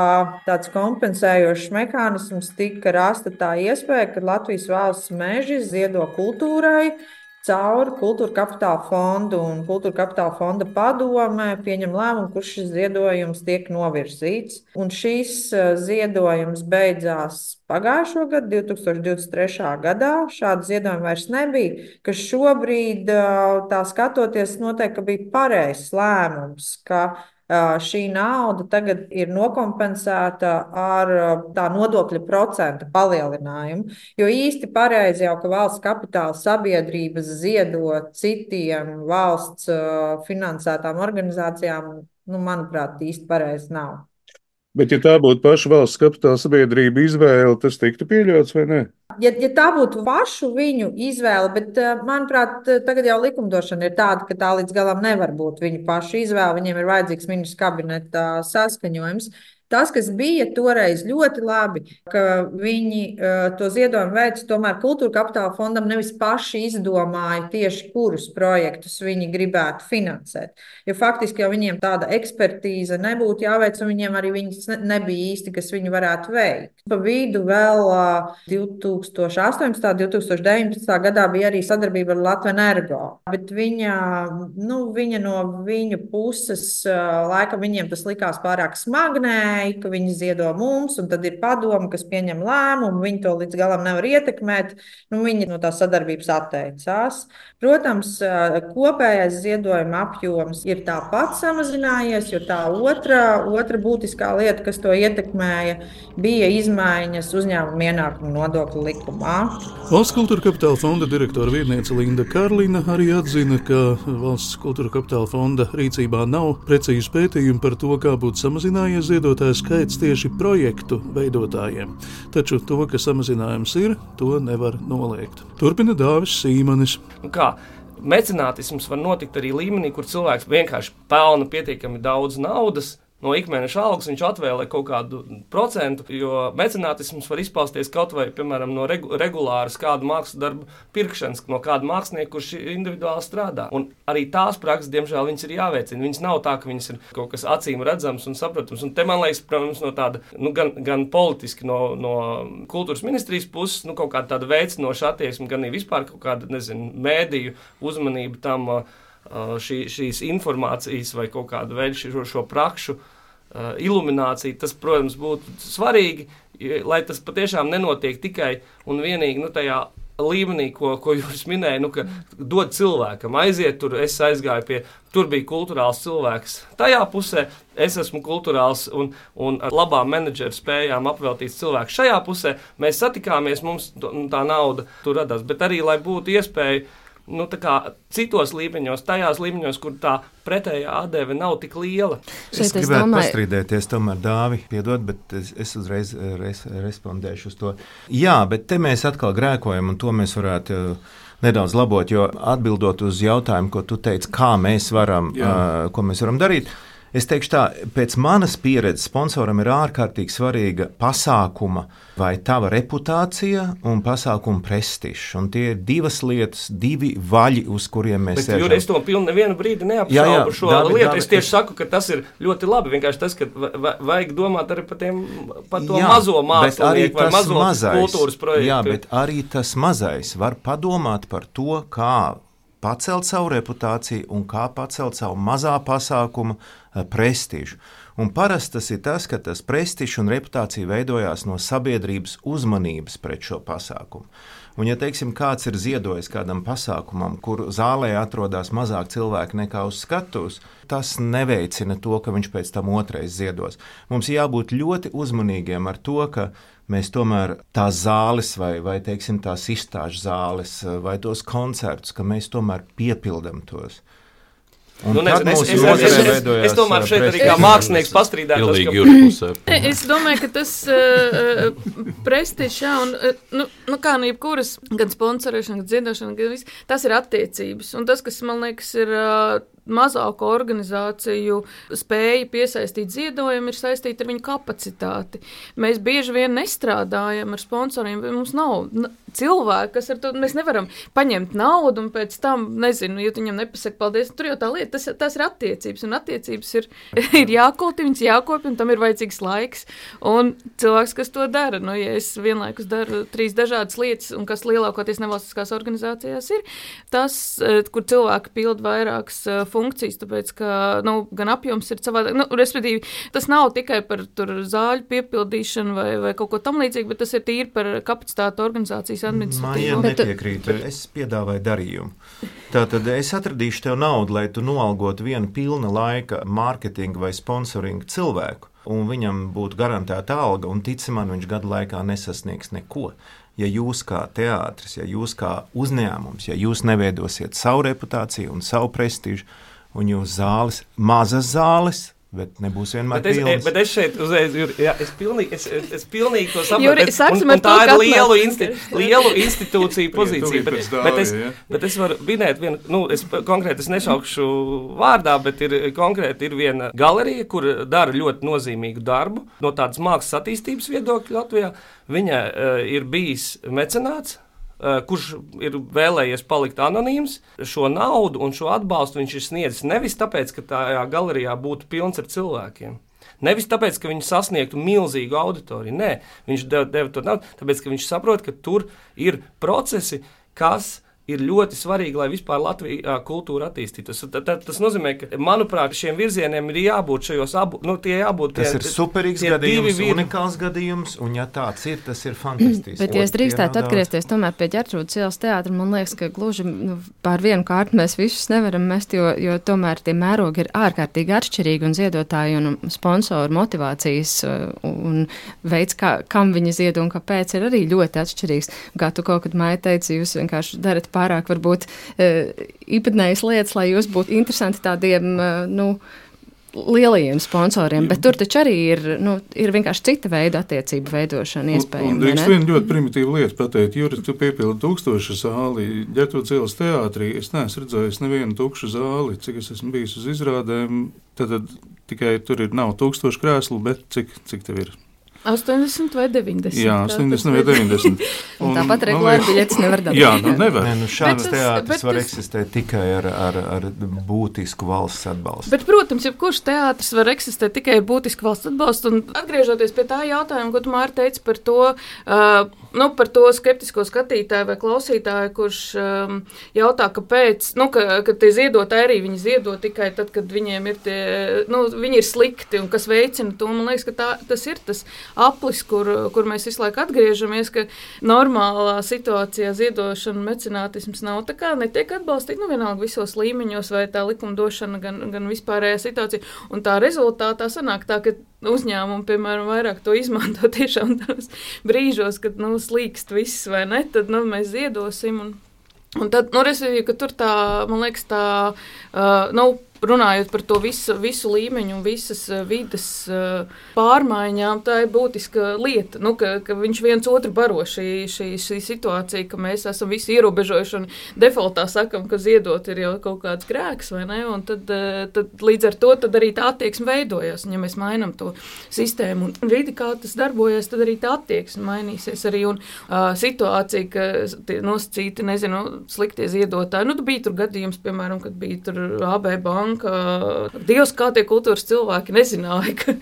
tāds kompensējošs mehānisms tika rasta tā iespēja, ka Latvijas valsts meži ziedo kultūrai, caur kultūra kapitāla fondu un kultūra kapitāla fonda padomē pieņem lēmumu, kurš šis ziedojums tiek novirzīts. Un šis ziedojums beidzās pagājušo gadu, divi tūkstoši divdesmit trešā gadā. Šāda ziedojuma vairs nebija, kas šobrīd, tā skatoties, noteikti bija pareizs lēmums, ka šī nauda tagad ir nokompensēta ar tā nodokļa procenta palielinājumu, jo īsti pareizi jau, ka valsts kapitāla sabiedrības ziedo citiem valsts finansētām organizācijām, nu, manuprāt, īsti pareizi nav. Bet, ja tā būtu paša valsts kapitāla sabiedrība izvēle, tas tiktu pieļauts vai ne? Ja, ja tā būtu pašu viņu izvēle, bet, manuprāt, tagad jau likumdošana ir tāda, ka tā līdz galam nevar būt viņu pašu izvēle, viņiem ir vajadzīgs ministru kabineta saskaņojums. Tas, kas bija toreiz ļoti labi, ka viņi uh, to ziedojumu veids, tomēr kultūra kapitāla fondam nevis paši izdomāja tieši, kurus projektus viņi gribētu finansēt. Jo faktiski jau viņiem tāda ekspertīze nebūtu jāveic, un viņiem arī viņas nebija īsti, kas viņi varētu veikt. Pa vidu vēl uh, divi tūkstoši astoņpadsmitā, divi tūkstoši deviņpadsmitā gadā bija arī sadarbība ar Latvenergo, bet viņa, nu, viņa no viņu puses, uh, laikam viņiem tas likās pārāk smagnē, ietekmēja, ka viņi ziedo mums, un tad ir padoma, kas pieņem lēmumu, viņi to līdz galam nevar ietekmēt, nu, viņi no tās sadarbības atteicās. Protams, kopējais ziedojuma apjoms ir tāpat samazinājies, jo tā otra, otra būtiskā lieta, kas to ietekmēja, bija izmaiņas uzņēmuma ienākumu nodokļu likumā. Valsts kultūra kapitāla fonda direktora vietniece Linda Karlina arī atzina, ka Valsts kultūra kapitāla fonda rīcībā nav precīzi pētījumi par to, kā būtu samazinājies ziedotāju skaits tieši projektu veidotājiem. Taču to, ka samazinājums ir, to nevar noliegt. Turpina Dāvis Sīmanis. Kā? Mecenātisms var notikt arī līmenī, kur cilvēks vienkārši pelna pietiekami daudz naudas. No ikmēneša algas viņš atvēlē kaut kādu procentu, jo mecenātisms var izpausties kaut vai, piemēram, no regu, regulāras kādu mākslas darbu pirkšanas, no kāda mākslinieka, kurš individuāli strādā. Un arī tās prakses, diemžēl, viņas ir jāveicina. Viņas nav tā, ka viņas ir kaut kas acīm redzams un saprotams. Un te, man liekas, protams, no tāda, nu, gan, gan politiski no, no kultūras ministrijas puses, nu, kaut kāda tāda veicinoša attieksme, gan arī vispār kaut kāda, nezinu, mēdīju uzmanība tam, Šī, šīs informācijas vai kaut kādu veidu šo, šo prakšu uh, ilumināciju, tas, protams, būtu svarīgi, lai tas patiešām nenotiek tikai un vienīgi nu, tajā līmenī, ko, ko jūs minēja, nu, ka dod cilvēkam, aiziet tur, es aizgāju pie, tur bija kulturāls cilvēks. Tajā pusē es esmu kulturāls un, un ar labām menedžeru spējām apveltīts cilvēks. Šajā pusē mēs satikāmies, mums tā nauda tur radās, bet arī, lai būtu iespēja Nu, tā kā citos līmeņos, tajās līmeņos, kur tā pretējā atdeve nav tik liela. Es, es gribētu domāju... pastrīdēties, tomēr Dāvi, piedod, bet es, es uzreiz res, respondēšu uz to. Jā, bet te mēs atkal grēkojam, un to mēs varētu nedaudz labot, jo atbildot uz jautājumu, ko tu teici, kā mēs varam, uh, ko mēs varam darīt, es teikšu tā, pēc manas pieredzes sponsoram ir ārkārtīgi svarīga pasākuma vai tava reputācija un pasākuma prestižs. Un tie ir divas lietas, divi vaļi, uz kuriem mēs sēžam. Bet, es to pilnu nevienu brīdi neapšaubu šo David, lietu. David, es tieši es... saku, ka tas ir ļoti labi. Vienkārši tas, ka vajag domāt arī par, tiem, par to jā, mazo mākslinieku vai mazo mazais, kultūras projektu. Jā, bet arī tas mazais var padomāt par to, kā pacelt savu reputāciju un kā pacelt savu mazā pasākuma prestižu. Un parasti tas ir tas, ka tas prestižs un reputācija veidojās no sabiedrības uzmanības pret šo pasākumu. Un, ja teiksim, kāds ir ziedojis kādam pasākumam, kur zālē atrodas mazāk cilvēki nekā uz skatuves, tas neveicina to, ka viņš pēc tam otrais ziedos. Mums jābūt ļoti uzmanīgiem ar to, ka mēs tomēr tās zāles vai, vai teiksim, tās izstāžu zāles vai tos koncertus, ka mēs tomēr piepildam tos. Nu, nezinu, es, es, es, es, es, es tomēr šeit arī kā mākslinieks pastrīdētos. Ka... Es domāju, ka tas uh, prestižs, jā, un uh, nu, nu kā nu jebkuras, gan sponsorēšana, gan dziedošana, gan viss, tas ir attiecības. Un tas, kas man liekas ir uh, mazāko organizāciju spēja piesaistīt ziedojumu, ir saistīta ar viņu kapacitāti. Mēs bieži vien nestrādājam ar sponsoriem, mums nav cilvēki, kas ar to, mēs nevaram paņemt naudu un pēc tam, nezinu, ja viņam nepasaka paldies, tur jau tā lieta, tas, tas ir attiecības, un attiecības ir, ir jākulti, viņas jākopja, un tam ir vajadzīgs laiks, un cilvēks, kas to dara, nu, ja es vienlaikus daru trīs dažādas lietas, un kas lielākoties nevalstiskās organizācijās ir, tas, kur cilvēki pild vairākas funkcijas, tāpēc, ka, nu, gan apjoms ir savādāk, nu, respektīvi, tas nav tikai par tur zāļu piepildīšanu vai, vai kaut ko tam līdzīgi, bet tas ir tīri par kapacitātu organizācijas Mājiem nepiekrītu, es piedāvāju darījumu. Tātad es atradīšu tev naudu, lai tu noalgotu vienu pilna laika mārketinga vai sponsoringa cilvēku, un viņam būtu garantēta alga, un tici man, viņš gadu laikā nesasniegs neko. Ja jūs kā teātris, ja jūs kā uzņēmums, ja jūs neveidosiet savu reputāciju un savu prestižu, un jūs zāles, mazas zāles, bet nebūs vienmēr bet es, pilns. Bet es šeit uzreiz, Juri, jā, es pilnīgi, es, es pilnīgi to saprotu. Juri, un, un tā ir lielu, insti, lielu institūciju pozīcija. bet, bet, es, bet es varu minēt vienu, nu, es konkrēti es nešaukšu vārdā, bet ir konkrēti ir viena galerija, kur dara ļoti nozīmīgu darbu no tādas mākslas attīstības viedokļa Latvijā. Viņa uh, ir bijis mecenāts, Uh, kurš ir vēlējies palikt anonīms, šo naudu un šo atbalstu viņš ir sniedzis nevis tāpēc, ka tajā galerijā būtu pilns ar cilvēkiem. Nevis tāpēc, ka viņi sasniegtu milzīgu auditoriju. Nē, viņš deva, deva to naudu, tāpēc, ka viņš saprot, ka tur ir procesi, kas ir ļoti svarīgi, lai vispār Latvijā kultūra attīstītos. Tas nozīmē, ka, manuprāt, šiem virzieniem ir jābūt šajos abu, nu, tie jābūt tie. Tas ir superīgs gadījums, vir... unikāls gadījums, un ja tāds ir, tas ir fantastisks. Bet, ja es drīkstētu atgriezties tomēr pie Ģertrūdes ielas teātra, man liekas, ka gluži nu, pār vienu kārtu mēs visus nevaram mest, jo, jo tomēr tie mērogi ir ārkārtīgi atšķirīgi, un ziedotāji un sponsoru motivācijas un veids, kā, kam viņi ziedo un kāpēc, ir arī ļoti atšķirīgs. Kā tu kaut kad, Maija, teici, jūs vienkārši darat pārāk varbūt īpatnējas lietas, lai jūs būtu interesanti tādiem, nu, lielajiem sponsoriem, bet tur taču arī ir, nu, ir vienkārši cita veida attiecību veidošana iespējama. Un, un drīkst vienu ļoti primitīvu lietu pateikt, Juris, tu piepildi tūkstošu zāli, Ģertrūdes ielas teātrī, es neesmu redzējis nevienu tukšu zāli, cik es esmu bijis uz izrādēm, tad, tad tikai tur ir nav tūkstošu krēslu, bet cik, cik tev ir? astoņdesmit vai deviņdesmit. Jā, astoņdesmit vai deviņdesmit. Un, tāpat regulāri biļetes nevar dabūt. Jā, nu nevar. Nē, nu šāds tas, teātris var tas... eksistēt tikai ar, ar, ar būtisku valsts atbalstu. Bet, protams, jebkurš teātris var eksistēt tikai ar būtisku valsts atbalstu. Un atgriežoties pie tā jautājuma, ko tu, Māra, teici par to, uh, nu, par to skeptisko skatītāju vai klausītāju, kurš um, jautā, kāpēc, nu, ka, ka tie ziedotāji arī viņi ziedo tikai tad, kad viņiem ir tie, nu, viņi ir slikti un kas veicina to. Man liekas, ka tā, tas ir tas aplis, kur, kur mēs visu laiku atgriežamies, ka normālā situācijā ziedošana, mecenātisms nav tā kā netiek atbalstīt, nu vienalga visos līmeņos, vai tā likumdošana, gan, gan vispārējā situācija. Un tā rezultātā sanāk tā, ka uzņēmumi, piemēram, vairāk to izmanto tiešām tos brīžos, kad, nu, slīkst viss vai ne, tad, nu, mēs ziedosim. Un, un tad, nu, respektīvi, ka tur tā, man liekas, tā, uh, nu, runājot par to visu, visu līmeņu un visas vides pārmaiņām, tā ir būtiska lieta, nu, ka, ka viņš viens otru baro šī, šī, šī situācija, ka mēs esam visi ierobežojuši un defaultā sakam, ka ziedot ir jau kaut kāds grēks, vai ne, un tad, tad līdz ar to tad arī tā attieksme veidojas, un ja mēs mainam to sistēmu un vidi, kā tas darbojas, tad arī tā attieksme mainīsies arī, un uh, situācija, ka tie nosacīti, nezinu, sliktie ziedotāji, nu, bija tur gadījums, piemēram, kad bija tur A B banka, ka Dievs, kā tie kultūras cilvēki nezināja, ka,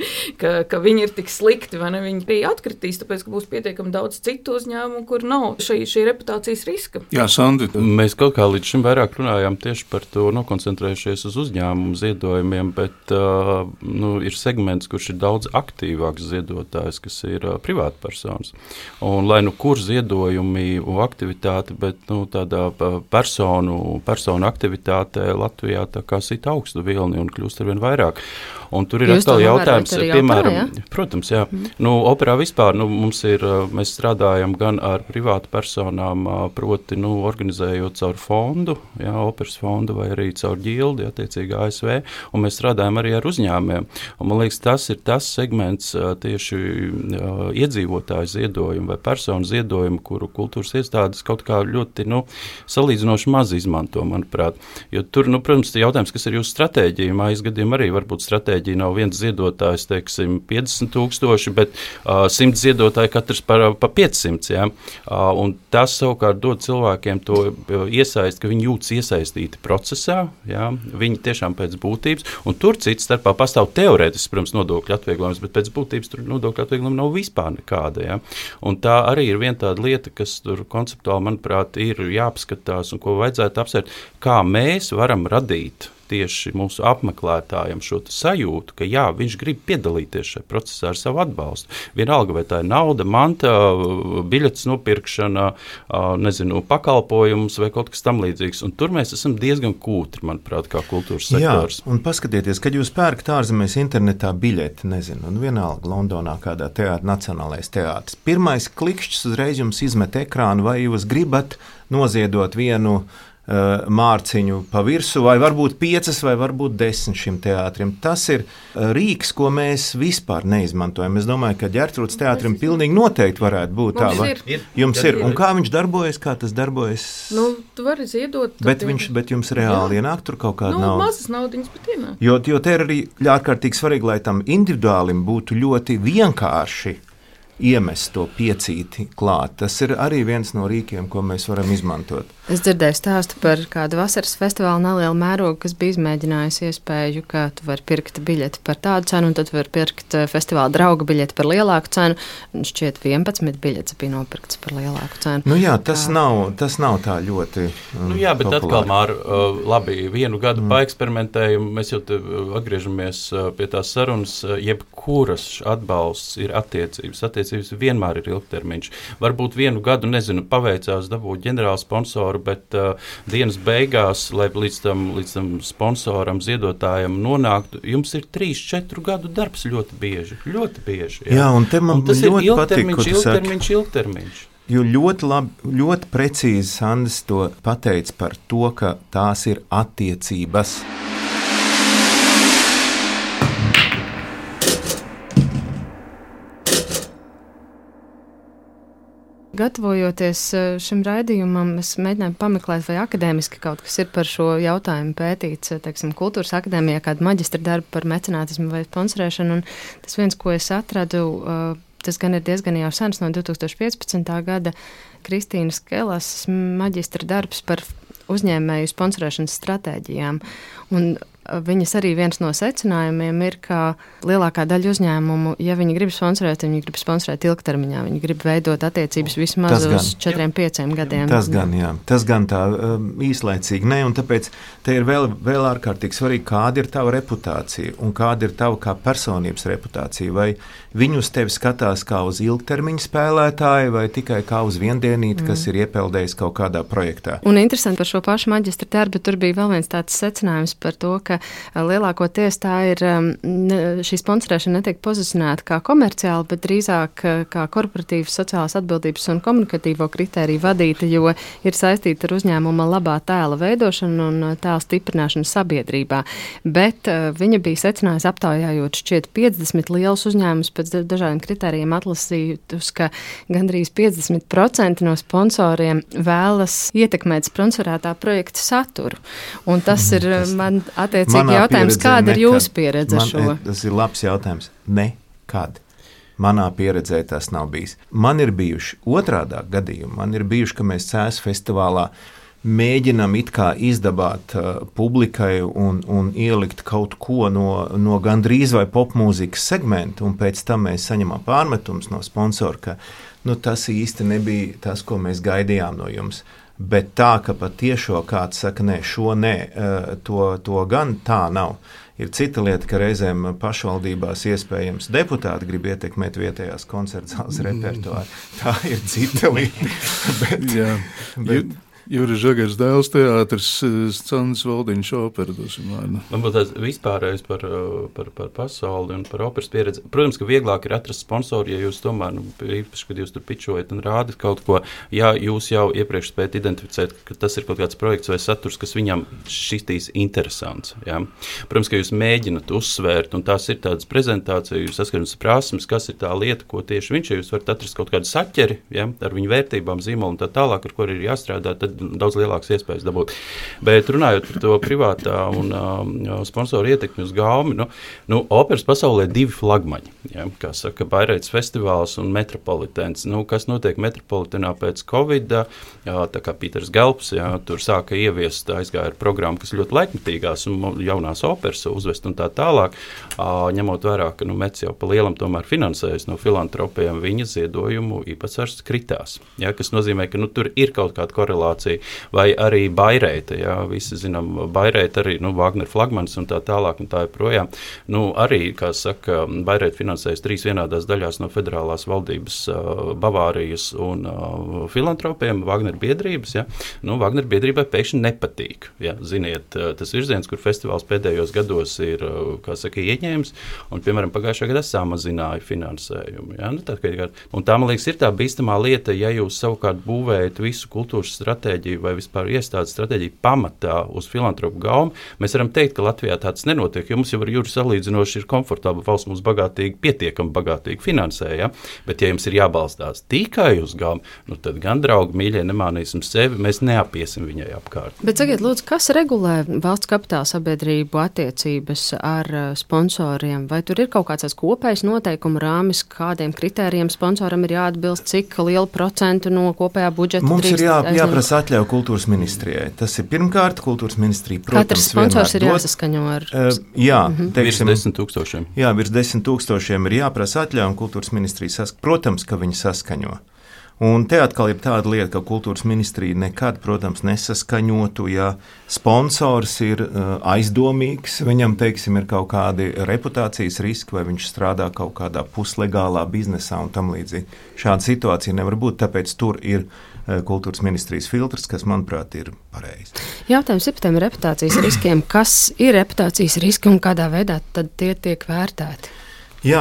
ka, ka viņi ir tik slikti, vai ne, viņi arī atkritīs, tāpēc, ka būs pietiekami daudz citu uzņēmumu, kur nav šī, šī reputācijas riska. Jā, Sandi. Mēs kaut kā līdz šim vairāk runājām tieši par to, nokoncentrējušies uz uzņēmumu ziedojumiem, bet uh, nu, ir segments, kurš ir daudz aktīvāks ziedotājs, kas ir uh, privātpersonas. Un lai nu kur ziedojumi un aktivitāti, bet nu, tādā personu, personu aktivitātē Latvijā tā kā sit augstu vilni un kļūst arvien vairāk. Un tur ir Jūs atkal jautājums, piemēram, operā, ja? Protams, jā. Mm. Nu, operā vispār, nu, mums ir, mēs strādājam gan ar privātu personām, proti, nu, organizējot caur fondu, jā, operas fondu vai arī caur ģildi, attiecīgi A S V, un mēs strādājam arī ar uzņēmiem. Un man liekas, tas ir tas segments tieši uh, iedzīvotāju ziedojumu vai personu ziedojumu, kuru kultūras iestādes kaut kā ļoti, nu, salīdzinoši maz izmanto, manuprāt. Jo tur, nu, protams, jautājums, kas ir jūsu stratēģija, mājas gadiem arī varbūt stratēģija nav viens ziedotājs, teiksim, piecdesmit tūkstoši, bet uh, simt ziedotāji katrs par, par piecsimt, jā. Uh, un tas savukārt dod cilvēkiem to iesaist, ka viņi jūtas iesaistīti procesā, jā, viņi tiešām pēc būtības, un tur cits starpā pastāv teorētiski, protams, nodokļu atvieglojums, bet pēc būtības tur nodokļu atvieglojuma nav vispār nekāda, jā. Un tā arī ir viena tāda lieta, kas tur konceptuāli, manuprāt, ir jāapskatās un ko vajadzētu apsvērt, kā mēs varam radīt tieši mūsu apmeklētājiem šo sajūtu, ka jā, viņš grib piedalīties šajā procesā ar savu atbalstu. Vienalga, vai tā ir nauda, manta, biļetes nopirkšana, nezinu, pakalpojums vai kaut kas tam līdzīgs. Un tur mēs esam diezgan kūtri, manuprāt, kā kultūras sektors. Jā, un paskatieties, kad jūs pērkat ārzemēs internetā biļeti, nezinu, un vienalga Londonā kādā teātra, Nacionālais teātris. Pirmais klikšķis uzreiz jums izmet ekrānu, vai jūs gribat noziedot vienu mārciņu pa virsu, vai varbūt piecas, vai varbūt desmit šim teātrim. Tas ir rīks, ko mēs vispār neizmantojam. Es domāju, ka Ģertrūdes teātrim pilnīgi noteikti varētu būt tā. Mums ir. Jums ir. Un kā viņš darbojas, kā tas darbojas? Nu, tu vari ziedot. Bet, viņš, bet jums reāli jā. Ienāk tur kaut kāda nu, nauda? Nu, mazas naudiņas, bet ienāk. Jo, jo te ir arī ārkārtīgi svarīgi, lai tam individuālim būtu ļoti vienkārši iemest to piecīti klāt. Tas ir arī viens no rīkiem, ko mēs varam izmantot. Es dzirdēju stāstu par kādu vasaras festivālu nelielu mērogu, kas bija izmēģinājusi iespēju, ka tu vari pirkt biļeti par tādu cenu, un tad var pirkt festivāla drauga biļeti par lielāku cenu. Šķiet, vienpadsmit biļetes bija nopirktas par lielāku cenu. Nu jā, tas, kā... nav, tas nav tā ļoti um, nu jā, bet populāri. Atkal, Māra, uh, labi, vienu gadu mm. paeksperimentējumu, mēs jau te atgriežamies uh, pie tās sarunas, uh, jebkuras atbalsts ir attiecības. Attiecības vienmēr ir ilgtermiņš. Varbūt vienu gadu, nezinu, paveicās dabūt ģenerālu sponsoru, bet uh, dienas beigās, lai līdz tam, līdz tam sponsoram, ziedotājam nonāktu, jums ir trīs, četru gadu darbs ļoti bieži. Ļoti bieži. Jā, jā un te man un tas ļoti ir patīk, ilgtermiņš, ilgtermiņš, ilgtermiņš. Jo ļoti labi, ļoti precīzi Sandis to pateica par to, ka tās ir attiecības. Gatavojoties šim raidījumam, es mēģināju pameklēt, vai akadēmiski kaut kas ir par šo jautājumu pētīts, teiksim, kultūras akadēmijā, kādu maģistra darbu par mecenātismu vai sponsorēšanu, un tas viens, ko es atradu, tas gan ir diezgan jau sens, no divi tūkstoši piecpadsmitā gada, Kristīnas Kelas maģistra darbs par uzņēmēju sponsorēšanas stratēģijām, un viņas arī viens no secinājumiem ir, ka lielākā daļa uzņēmumu, ja viņi grib sponsorēt, viņi grib sponsorēt ilgtermiņā, viņi grib veidot attiecības vismaz tas uz četriem, pieciem gadiem. Tas gan, jā. Tas gan tā um, īslaicīgi. Ne, un tāpēc te ir vēl, vēl ārkārtīgi svarīgi, kāda ir tava reputācija un kāda ir tava kā personības reputācija. Vai viņi uz tevi skatās kā uz ilgtermiņa spēlētāju vai tikai kā uz viendienīti, mm. kas ir iepeldējis kaut kādā projektā. Un interesanti par šo pašu maģistra darbu, tur bija vēl viens tāds secinājums par to, ka lielākoties tā ir, šī sponsorēšana netiek pozicionēta kā komerciāla, bet drīzāk kā korporatīvas sociālās atbildības un komunikatīvo kritēriju vadīta, jo ir saistīta ar uzņēmuma labā tēla veidošanu un tēla stiprināšanu sabiedrībā. Bet viņa bija secinājusi aptaujājot šķiet piecdesmit lielus uzņēmumus pēc dažādiem kritērijiem atlasītus, ka gandrīz piecdesmit procenti no sponsoriem vēlas ietekmēt sponsorētā projekta saturu. Un tas ir man attiecībā Cik jautājums, kāda ir jūsu pieredze man, šo? Tas ir labs jautājums. Nekad. Manā pieredzē tas nav bijis. Man ir bijuši otrādā gadījumā. Man ir bijuši, ka mēs Cēs festivālā mēģinam it kā izdabāt uh, publikai un, un ielikt kaut ko no, no gandrīz vai popmūzikas segmenta, un pēc tam mēs saņemam pārmetums no sponsora, ka nu, tas īsti nebija tas, ko mēs gaidījām no jums. Bet tā, ka patiešo kāds saka, nē, šo nē, to, to gan tā nav. Ir cita lieta, ka reizēm pašvaldībās iespējams deputāti grib ietekmēt vietējās koncertzāles repertuāru. Tā ir cita lieta. bet, Jā. Bet, Juris Žagars dēls teātris, Sandis Valdiņš opera dosim vārdu. Man būtu tāds vispārējais par, par, par pasauli un par operas pieredzi. Protams, ka vieglāk ir atrast sponsoru, ja jūs tomēr, nu, īpaši, kad jūs tur pičojat un rādat kaut ko, ja jūs jau iepriekš spējat identificēt, ka tas ir kaut kāds projekts vai saturs, kas viņam šitīs interesants. Ja? Protams, ka jūs mēģinat uzsvērt, un tās ir tādas prezentācijas, jūs saskatāt prasmes, kas ir tā lieta, ko tieši viņš, ja jūs varat atrast kaut kādu saķeri, ja? Ar viņu vērtībām, zīmolu un tā tālāk, ar ko ir jāstrādā, tad daudz lielākas iespējas dabūt. Bet runājot par to privātā un uh, sponsoru ietekmi uz gaumi, nu, nu, operas pasaulē divi flagmaņi, ja, kā saka, Baireitas festivāls un Metropolitens. Nu, kas notiek Metropolitenā pēc Covida, jā, tā kā Pīters Gelps, jā, tur sāka ieviest, aizgāja ar programmu, kas ļoti laikmetīgās un jaunās operas uzvest un tā tālāk, uh, ņemot vērā, ka nu, Mets jau pa lielam tomēr finansējas no filantropiem, viņa ziedojumu īpatsvars kritās, ja, kas nozīmē, ka nu, tur ir kaut kāda korelācija. Vai arī Baireita, jā, visi zinām, Baireita arī, nu, Wagner flagmanis un tā tālāk un tā joprojām. Nu, arī, kā saka, Baireita finansējas trīs vienādās daļās no federālās valdības uh, Bavārijas un uh, filantropiem, Wagner biedrības, jā. Nu, Wagner biedrībai pēkšņi nepatīk, jā, ziniet, tas virziens, kur festivāls pēdējos gados ir, uh, kā saka, ieņēmis, un, piemēram, pagājušā gadā samazināja finansējumu, jā. Nu, tā, kā, un tā, man liekas, ir tā bīstamā lieta, ja jūs savukārt būvējat visu kultūras stratēģiju stratēģija vai vispār iestādes stratēģija pamatā uz filantropu gaumu, mēs varam teikt, ka Latvijā tāds nenotiek, jo mums jau ar jūru salīdzinoši ir komfortabla valsts, mums bagātīgi, pietiekami bagātīgi finansē, ja? Bet ja jums ir jābalstās tikai uz gaumu, nu tad gan, draugi, mīļie, nemānīsim sevi, mēs neapiesim viņai apkārt. Bet sakiet, lūdzu, kas regulē valsts kapitāla sabiedrību attiecības ar sponsoriem? Vai tur ir kaut kāds kopējs noteikumu rāmis, kādiem kritērijiem sponsoram ir jāatbilst, cik lielu procentu no kopējā budžeta mums ir jā, aizņemt? jāprasa atļauja kultūras ministrijai. Tas ir pirmkārt, kultūras ministrija, protams, katrs sponsors ir dod, jāsaskaņo ar... Uh, jā, mm-hmm. teiksim, virs desmit tūkstošiem. Jā, virs desmit tūkstošiem ir jāprasa atļauja, un kultūras ministrija saskaņo. Protams, ka viņi saskaņo. Un te atkal ir tāda lieta, ka kultūras ministrija nekad, protams, nesaskaņotu, ja sponsors ir uh, aizdomīgs, viņam, teiksim, ir kaut kādi reputācijas riski, vai viņš strādā kaut kādā puslegālā biznesā un tam līdzīgi. Šāda situācija nevar būt, tāpēc tur ir uh, kultūras ministrijas filtrs, kas, manuprāt, ir pareizi. Jautājums ir par tiem reputācijas riskiem. Kas ir reputācijas riski un kādā veidā tad tie tiek vērtēti? Jā,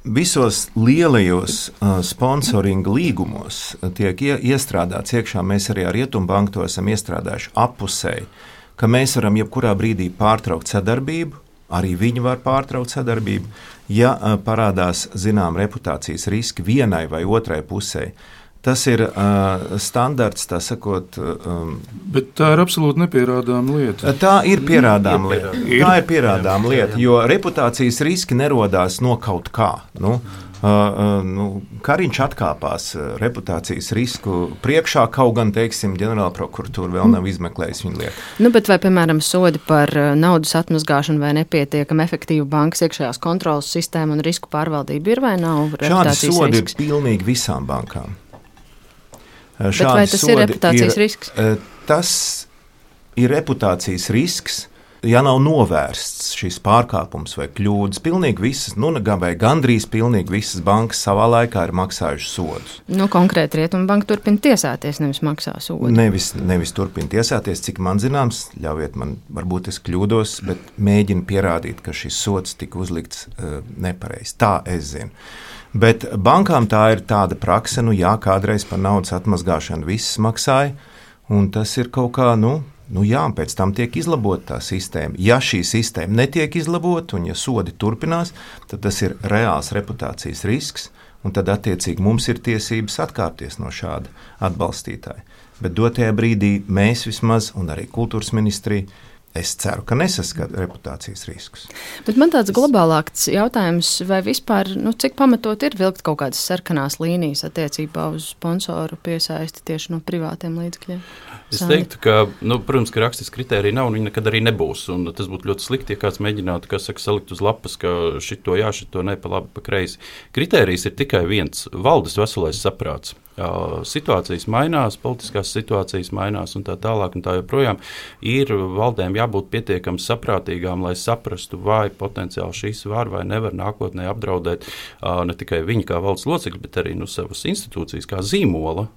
visos lielajos sponsoringa līgumos tiek iestrādāts iekšā, mēs arī ar Rietumbanku to esam iestrādājuši appusēji, ka mēs varam jebkurā brīdī pārtraukt sadarbību, arī viņi var pārtraukt sadarbību, ja parādās zinām reputācijas riski vienai vai otrai pusē. Tas ir uh, standarts, tā sakot. Um, Bet tā ir absolūti nepierādāma lieta. Tā ir pierādāma lieta. Tā ir pierādāma lieta, jo reputācijas riski nerodās no kaut kā. Nu, uh, uh, nu, Kariņš atkāpās reputācijas risku priekšā, kaut gan, teiksim, ģenerāla prokuratūra vēl nav izmeklējusi viņu lietu. Nu, bet vai, piemēram, sodi par naudas atmazgāšanu vai nepietiekami efektīvu bankas iekšējās kontrolas sistēmu un risku pārvaldību ir vai nav reputācijas risks? Šādi sodi ir pilnīgi visām bankām. Bet vai tas ir reputācijas ir, risks? Tas ir reputācijas risks, ja nav novērsts šis pārkāpums vai kļūdas. Pilnīgi visas, nu, vai gandrīz pilnīgi visas bankas savā laikā ir maksājušas sodus. Nu, konkrēti Rietumbanka turpina tiesāties, nevis maksā sodu. Nevis, nevis turpina tiesāties, cik man zināms, ļaujiet man, varbūt es kļūdos, bet mēģina pierādīt, ka šis sods tika uzlikts uh, nepareizi. Tā es zinu. Bet bankām tā ir tāda prakse, nu jā, kādreiz par naudas atmazgāšanu viss maksāja, un tas ir kaut kā, nu, nu jā, pēc tam tiek izlabota tā sistēma. Ja šī sistēma netiek izlabota, un ja sodi turpinās, tad tas ir reāls reputācijas risks, un tad attiecīgi mums ir tiesības atkāpties no šāda atbalstītāja. Bet dotajā brīdī mēs vismaz, un arī kultūras ministrija, es ceru, ka nesaskata reputācijas riskus. Bet man tāds globālāks jautājums, vai vispār, nu, cik pamatot ir vilkt kaut kādas sarkanās līnijas attiecībā uz sponsoru piesaisti tieši no privātiem līdzekļiem? Es teiktu, ka, nu, protams, ka rakstisks kritērija nav un viņi nekad arī nebūs. Un tas būtu ļoti slikti, ja kāds mēģinātu, kā saka, salikt uz lapas, ka šito jā, šito ne, pa labi, pa kreisi. Kritērijs ir tikai viens – valdes veselais saprāts. Situācijas mainās, politiskās situācijas mainās un tā tālāk un tā joprojām. Ir valdēm jābūt pietiekami saprātīgām, lai saprastu, vai potenciāli šīs var vai nevar nākotnē apdraudēt ne tikai viņi kā valsts locekļi, bet arī nu, savas institūcijas kā zīmola,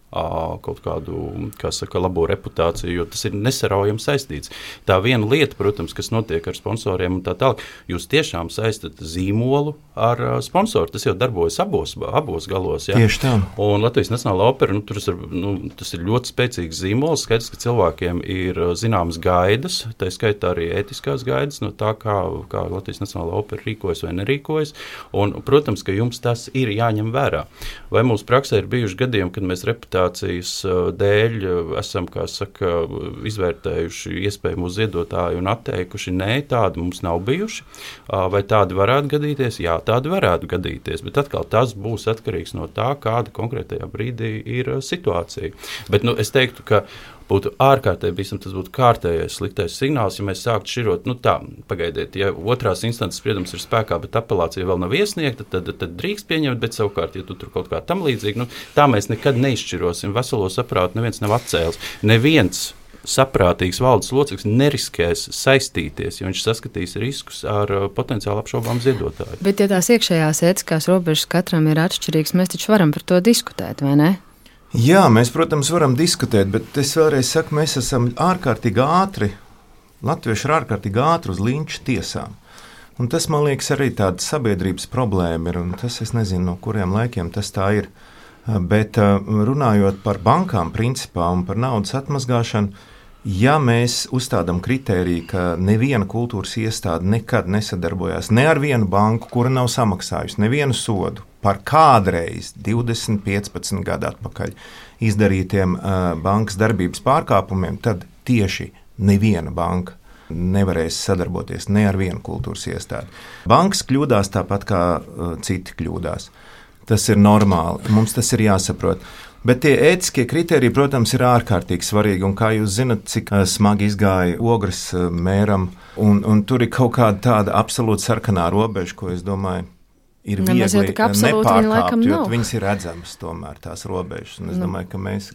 kaut kādu, kā saka, labo reputāciju, jo tas ir nesaraujami saistīts. Tā viena lieta, protams, kas notiek ar sponsoriem un tā tālāk, jūs tiešām saistat zīmolu ar sponsoru. Tas jau darbojas abos, abos galos. Ja? Tieši tā. Un Latvijas Nacionālā opera, nu, tur ir, nu, tas ir ļoti spēcīgs zīmols. Skaidrs, ka cilvēkiem ir zināmas gaidas, tā skaitā arī ētiskās gaidas no tā, kā, kā Latvijas Nacionālā opera rīkojas vai nerīkojas. Un, protams, ka jums tas ir jāņem vērā. Vai mūsu praksē ir bijuši gadījumi, kad mēs reputācijas dēļ esam, kā saka, izvērtējuši iespējamu ziedotāju un atteikuši? Nē, tādi mums nav bijuši. Vai tādi varētu gadīties? Jā, tādi varētu gadīties. Bet atkal tas būs atkarīgs no tā, kāda konkrētajā brīdī ir situācija. Bet nu, es teiktu, ka būtu ārkārtēji bīstam, tas būtu kārtējais sliktais signāls, ja mēs sāktu šķirot, nu tā, pagaidiet, ja otrās instances spriedums ir spēkā, bet apelācija vēl nav iesniegta, tad, tad drīkst pieņemt, bet savukārt, ja tu tur kaut kā tam līdzīgi, nu tā mēs nekad neizšķirosim, veselo saprātu neviens nav atcēlis, neviens saprātīgs valdes loceklis neriskēs saistīties, jo viņš saskatīs riskus ar uh, potenciāli apšaubām ziedotāju. Bet ja tās iekšējās ētiskās robežas katram ir atšķirīgas, mēs taču varam par to diskutēt, vai ne? Jā, mēs, protams, varam diskutēt, bet es vēlreiz saku, mēs esam ārkārtīgi ātri, latvieši ir ārkārtīgi ātri uz linča tiesām. Un tas, man liekas, arī tāda sabiedrības problēma ir, un tas, es nezinu, no kuriem laikiem tas tā ir. Bet runājot par bankām principā un par naudas atmazgāšanu, ja mēs uzstādām kritēriju, ka neviena kultūras iestāde nekad nesadarbojās ne ar vienu banku, kura nav samaksājusi nevienu sodu par kādreiz divdesmit, piecpadsmit gadu atpakaļ izdarītiem uh, bankas darbības pārkāpumiem, tad tieši neviena banka nevarēs sadarboties ne ar vienu kultūras iestādi. Bankas kļūdās tāpat kā uh, citi kļūdās. Tas ir normāli, mums tas ir jāsaprot. Bet tie ētiskie kriteriji, protams, ir ārkārtīgi svarīgi. Un kā jūs zinat, cik uh, smagi izgāja Ogres uh, mēram, un, un tur ir kaut kāda tāda absolūti sarkanā robeža, ko es domāju, ir Ne, mēs jau viegli tik absolūti viņi laikam nepārkāpt, jo nav. viņas ir redzamas tomēr tās robežas. Un es Nu. domāju, ka mēs,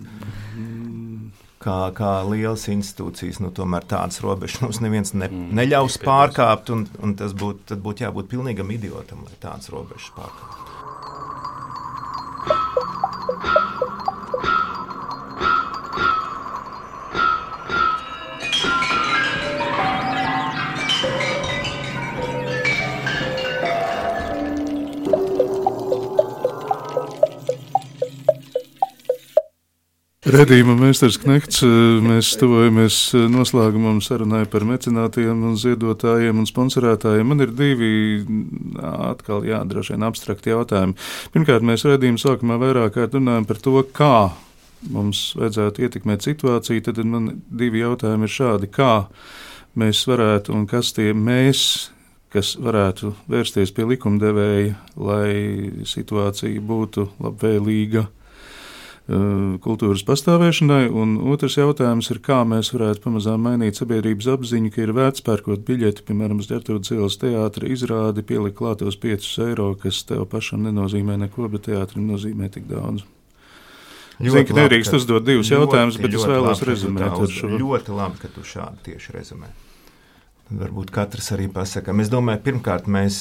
kā, kā lielas institūcijas, nu tomēr tādas robežas mums neviens ne, neļaus pārkāpt, un, un tas būtu, tad būtu jābūt pilnīgam idiotam, lai tādas robežas pārkāpt. Redījuma meistars Knekts, mēs tuvojamies noslēgumam sarunai par mecenātiem un ziedotājiem un sponsorētājiem. Man ir divi atkal, jā, droši vien abstrakti jautājumi. Pirmkārt, mēs redījuma sākumā vairāk kārt runājam par to, kā mums vajadzētu ietekmēt situāciju, tad man divi jautājumi ir šādi, kā mēs varētu un kas tie mēs, kas varētu vērsties pie likumdevēja, lai situācija būtu labvēlīga kultūras pastāvēšanai, un otrs jautājums ir, kā mēs varētu pamazām mainīt sabiedrības apziņu, ka ir vērts pērkot biļeti, piemēram, uz Ģertrūdes ielas teātra izrādi, pielikt klātos piecus eiro, kas tev pašam nenozīmē neko, bet teātrim nozīmē tik daudz. Zinu, ka nedrīkst uzdot divus jautājumus, bet es vēlos rezumēt ar šo. Ļoti labi, ka tu šādi tieši rezumē. Tad varbūt katrs arī pasakam. Es domāju, pirmkārt, mēs,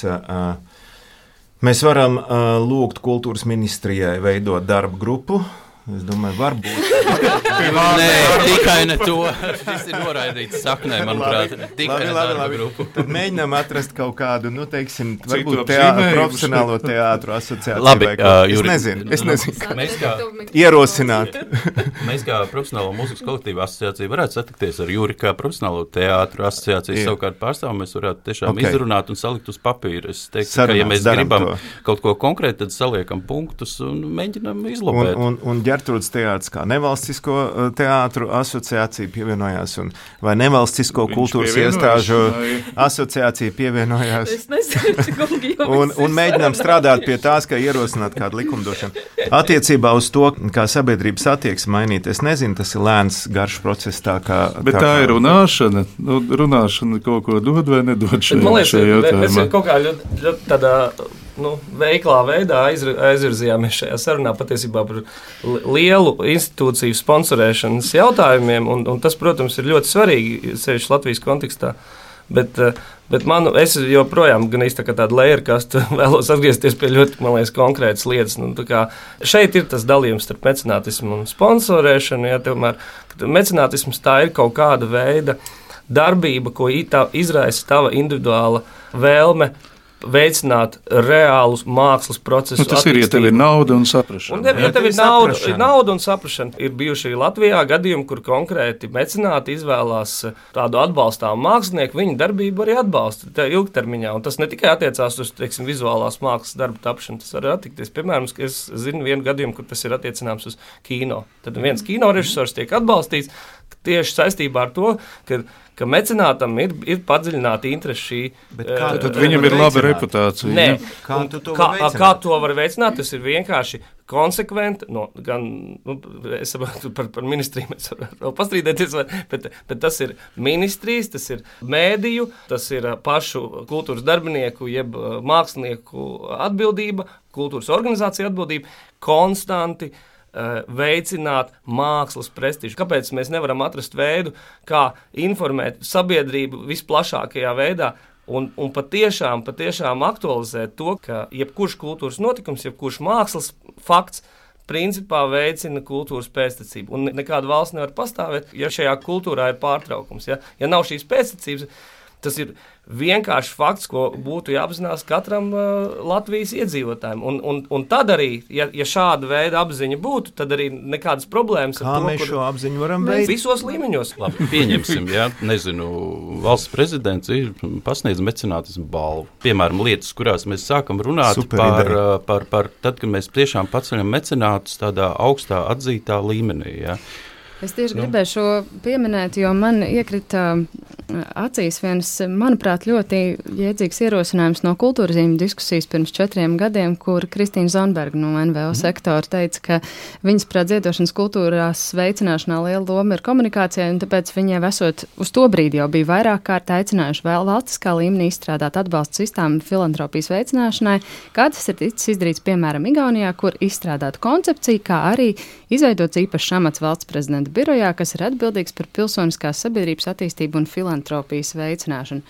mēs varam lūgt kultūras ministrijai veidot darba grupu. Es domāju, varbūt. Nē, tikai ne to. Tas ir noraidīts saknē, manuprāt. Tikai ne darba grupu. Tad mēģinām atrast kaut kādu, nu, teiksim, varbūt teā, profesionālo teātru asociāciju. Labi, uh, es Juri, nezinu, es nezinu. Mēs kā, ierosināt. Mēs kā profesionālo mūzikas kolektīvu asociāciju varētu satikties ar Juri kā profesionālo teātru asociāciju. Jā. Savukārt pārstāvu mēs varētu tiešām Okay. izrunāt un salikt uz papīra. Es teiktu, Sarunās, ka ja mēs daram gribam to. kaut ko konkrētu, tad saliekam punktus un mēģinam izlobēt. Un, un, un Ģertrūdes teātris kā nevalstisko uh, teātru asociācija pievienojās, un vai nevalstisko Viņš kultūras pievienojas, iestāžu vai- asociācija pievienojās. Es nezinu, kungi, jau Un, viss un ir mēģinām sarunāts. strādāt pie tās, kā ierosināt kādu likumdošanu. Attiecībā uz to, kā sabiedrības attieksme mainīt, es nezinu, tas ir lēns, garš process. Tā, kā, Bet tā kā, ir runāšana. Nu, runāšana kaut ko dod vai nedod Bet, šajā, man liekas, šajā me- mēs jautājumā. kaut kā ļoti, ļoti tādā nu, veiklā veidā aizr- aizvirzījāmies šajā sarunā patiesībā par li- lielu institūciju sponsorēšanas jautājumiem, un, un tas, protams, ir ļoti svarīgi, sevišķi Latvijas kontekstā. Bet, eh, bet man, es joprojām gan īsti tā kā tāda lejerkastu vēlos atgriezties pie ļoti, man liekas, konkrētas lietas. Nu, tā kā šeit ir tas dalījums starp mecenātismu un sponsorēšanu. Ja, tomēr, mecenātisms tā ir kaut kāda veida darbība, ko i- tā izraisa tava individuāla vēlme veicināt reālus mākslas procesus. Nu, tas ir, ja tev ir nauda un saprašana. Un, ja, ja Jā, tev tev ir ir nauda, saprašana. nauda un saprašana, ir bijuši Latvijā gadījumi, kur konkrēti mecenāti izvēlās tādu atbalstāmu mākslinieku, viņa darbību arī atbalsta tā ilgtermiņā. Un tas ne tikai attiecās uz, teiksim, vizuālās mākslas darbu tapšanu, tas var attiekties. Piemēram, es zinu vienu gadījumu, kur tas ir attiecināms uz kino. Tad viens kino režisors tiek atbalstīts tieši saistībā ar to, ka ka mecenātam ir, ir padziļināta interese šī. Bet kā eh, tu Tad to viņam vari ir laba veicināt? reputācija. Nē, ja? Kā un tu to kā, vari veicināt? kā to var veicināt? Tas ir vienkārši konsekventi. No, gan, nu, es saprotu, par, par ministriju mēs varam vēl pastrīdēties, vai- bet, bet tas ir ministrijas, tas ir mēdīju, tas ir pašu kultūras darbinieku, jeb uh, mākslinieku atbildība, kultūras organizācija atbildība, konstanti uh, veicināt mākslas prestižu. Kāpēc mēs nevaram atrast veidu, kā informēt sabiedrību visplašākajā veidā? Un, un patiešām, patiešām aktualizēt to, ka jebkurš kultūras notikums, jebkurš mākslas fakts principā veicina kultūras pēctecību. Un nekāda valsts nevar pastāvēt, ja šajā kultūrā ir pārtraukums. Ja, ja nav šīs pēctecības, Tas ir vienkārši fakts, ko būtu jāapzinās katram uh, Latvijas iedzīvotājiem. Un, un, un tad arī, ja, ja šāda veida apziņa būtu, tad arī nekādas problēmas Kā ar to, mēs kur šo apziņu varam veidot? visos līmeņos. Labi, pieņemsim, ja, nezinu, valsts prezidents ir pasniedz mecenātismu balvu. Piemēram, lietas, kurās mēs sākam runāt Super par, ideja. par, par tad, kad mēs tiešām paceļam mecenātus tādā augstā atzītā līmenī, ja. Es tieši Nu. gribēju šo pieminēt, jo man iekrita acīs viens, manuprāt, ļoti jēdzīgs ierosinājums no kultūras zīmju diskusijas pirms četriem gadiem, kur Kristīna Zonberga no N V O sektora teica, ka viņas prāt ziedošanas kultūrās veicināšanā liela loma ir komunikācijai, un tāpēc viņai esot uz to brīdi jau bija vairāk kārt aicinājuši vēl valstiskā līmenī izstrādāt atbalstu sistēmu filantropijas veicināšanai, kā tas ir ticis izdarīts, piemēram, Igaunijā, kur izstrādāt koncepciju, kā arī izveidots īpašs amats valsts prezidenta birojā, kas ir atbildīgs par pilsoniskās sabiedrības attīstību un filantropijas veicināšanu.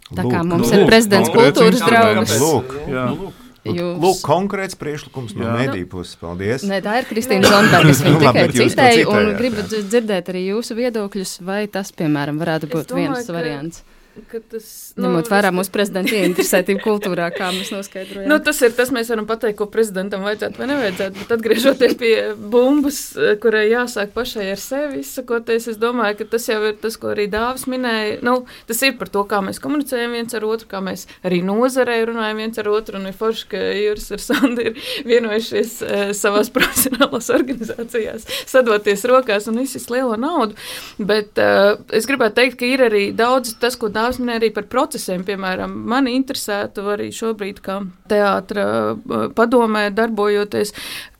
Tā kā Lūk, mums nu, ir lūk, prezidents konkrēts kultūras instruments. draugs. Lūk, Jā. Nu, lūk. Jūs- lūk, konkrēts priekšlikums no Jā. mediju puses. Paldies. Nē, tā ir Kristīna Zonberga. Es viņu Nu, labi, tikai bet jūs to citēju un citējāt, gribu jā. dzirdēt arī jūsu viedokļus, vai tas, piemēram, varētu Es būt domāju, viens ka- variants. ka tas, Ņemot vērā mūsu prezidenta ieinteresētību kultūrā, kā mēs noskaidrojam. Nu, tas ir tas, mēs varam pateikt, ko prezidentam vajadzētu vai nevajadzētu, bet atgriežoties pie bumbas, kurai jāsāk pašai ar sevi izsakoties, es domāju, ka tas jau ir tas, ko arī Dāvis minēja. Nu, tas ir par to, kā mēs komunicējam viens ar otru, kā mēs arī nozarē runājam viens ar otru, un ir forši, ka Juris ar Sandu ir vienojušies e, savās profesionālās organizācijās, sadoties rokās un izsist lielo naudu, bet e, es gribētu teikt, ka ir arī daudz tas, ko Dāvis minēja arī par procesiem, piemēram, mani interesētu arī šobrīd, kā teātra padomē darbojoties,